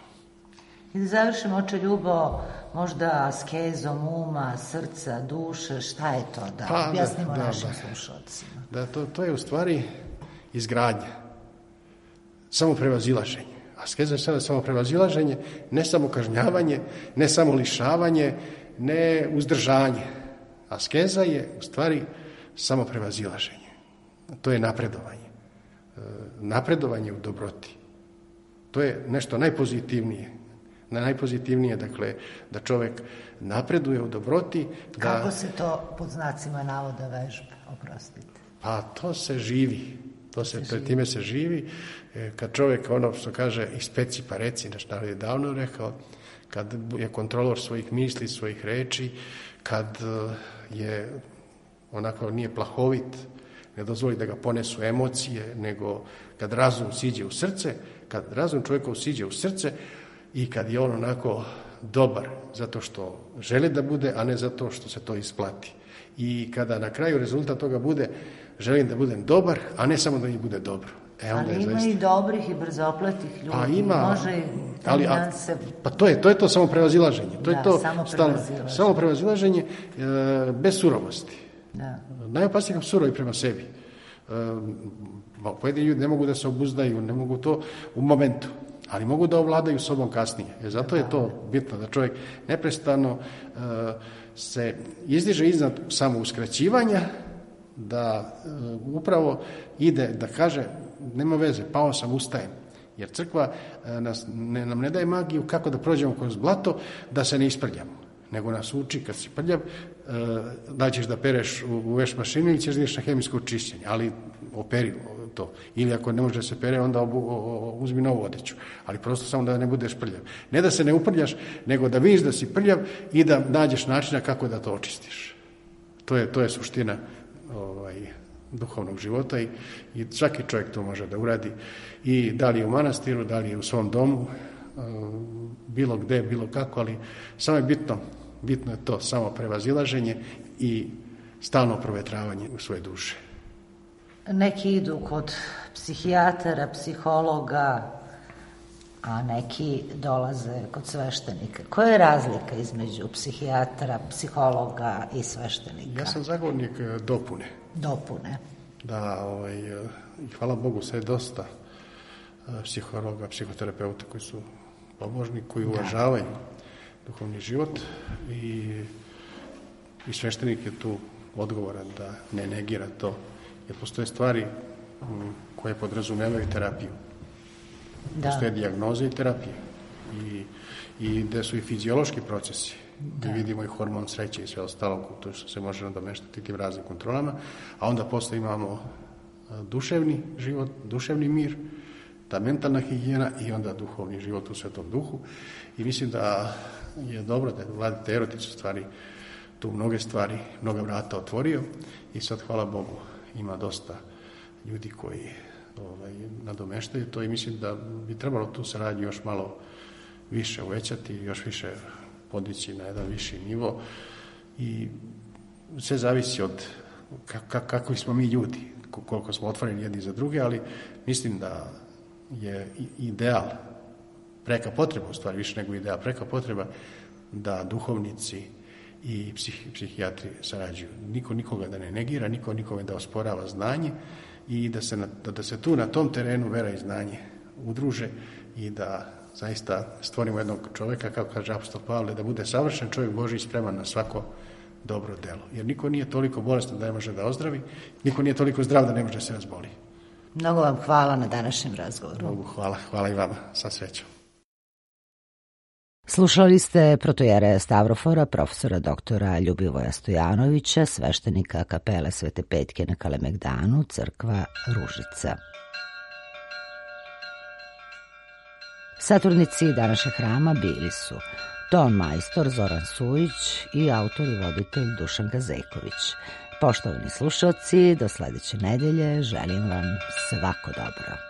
I da završimo, oče Ljubo, možda askezom uma, srca, duše, šta je to? Da pa, objasnimo da, našim da, slušalcima. Da, to, to je u stvari izgradnja, samo prevazilaženje. Askeza je sada samo prevazilaženje, ne samo kažnjavanje, ne samo lišavanje, ne uzdržanje. Askeza je u stvari samo prevazilaženje. To je napredovanje. Napredovanje u dobroti. To je nešto najpozitivnije. Na najpozitivnije, dakle, da čovjek napreduje u dobroti. Da... Kako se to pod znacima navoda vežbe, oprostite? Pa to se živi. To se, to, time se živi. Kad čovjek, ono što kaže, ispeci pa reci, nešto je davno rekao, kad je kontrolor svojih misli, svojih reči, kad je onako nije plahovit, ne dozvoli da ga ponesu emocije, nego kad razum siđe u srce, kad razum čovjekov siđe u srce, i kad je on onako dobar zato što želi da bude, a ne zato što se to isplati. I kada na kraju rezultat toga bude želim da budem dobar, a ne samo da mi bude dobro. E, onda ali je ima zaista... i dobrih i brzopletih ljudi. Pa ima, može i ali, a, se... pa to je, to je to samo prevazilaženje. To da, je to samo stalno, prevazilaženje. samo prevazilaženje e, bez surovosti. Da. Najopasnije kako surovi prema sebi. E, pojedini ljudi ne mogu da se obuzdaju, ne mogu to u momentu, ali mogu da ovladaju sobom kasnije. E, zato je to bitno, da čovjek neprestano e, se izdiže iznad samouskraćivanja, da e, upravo ide da kaže nema veze, pao sam, ustajem. Jer crkva e, nas, ne, nam ne daje magiju kako da prođemo kroz blato, da se ne isprljamo. Nego nas uči kad si prljav, e, da ćeš da pereš u, u veš mašinu ili ćeš da ideš na hemijsko čišćenje, ali operi to. Ili ako ne može da se pere, onda obu, o, o, uzmi novu odeću. Ali prosto samo da ne budeš prljav. Ne da se ne uprljaš, nego da vidiš da si prljav i da nađeš načina kako da to očistiš. To je, to je suština ovaj, duhovnog života i, i svaki čovjek to može da uradi. I da li je u manastiru, da li je u svom domu, bilo gde, bilo kako, ali samo je bitno, bitno je to samo prevazilaženje i stalno provetravanje u svoje duše. Neki idu kod psihijatara, psihologa, a neki dolaze kod sveštenika. Koja je razlika između psihijatara, psihologa i sveštenika? Ja sam zagovornik dopune. Dopune. Da, ovaj, hvala Bogu, sve je dosta psihologa, psihoterapeuta koji su pobožni, koji uvažavaju duhovni život i, i sveštenik je tu odgovoran da ne negira to, jer postoje stvari koje podrazumevaju terapiju. Da. Postoje dijagnoze i terapije i, i gde su i fiziološki procesi, gde da. Vidimo i hormon sreće i sve ostalo, to što se može nadomeštati tim raznim kontrolama, a onda posle imamo duševni život, duševni mir, ta mentalna higijena i onda duhovni život u Svetom Duhu. I mislim da je dobro da je Vladeta Erotić u stvari tu mnoge stvari, mnoga vrata otvorio i sad, hvala Bogu, ima dosta ljudi koji ovaj, nadomeštaju to i mislim da bi trebalo tu saradnju još malo više uvećati, još više podići na jedan viši nivo i sve zavisi od kakvi smo mi ljudi, koliko smo otvoreni jedni za druge, ali mislim da je ideal, preka potreba u stvari, više nego ideal, preka potreba da duhovnici i psih, psihijatri sarađuju. Niko nikoga da ne negira, niko nikome da osporava znanje i da se, na, da se tu na tom terenu vera i znanje udruže i da zaista stvorimo jednog čovjeka, kako kaže apostol Pavle, da bude savršen čovjek Božji spreman na svako dobro delo. Jer niko nije toliko bolestan da ne može da ozdravi, niko nije toliko zdrav da ne može da se razboli. Mnogo vam hvala na današnjem razgovoru. Mogu, hvala, hvala i vama, sa srećom. Slušali ste protojere Stavrofora, profesora doktora Ljubivoja Stojanovića, sveštenika kapele Svete Petke na Kalemegdanu, crkva Ružica. Saturnici današnjeg hrama bili su ton majstor Zoran Sujić i autor i voditelj Dušan Gazejković. Poštovani slušalci, do sledeće nedelje želim vam svako dobro.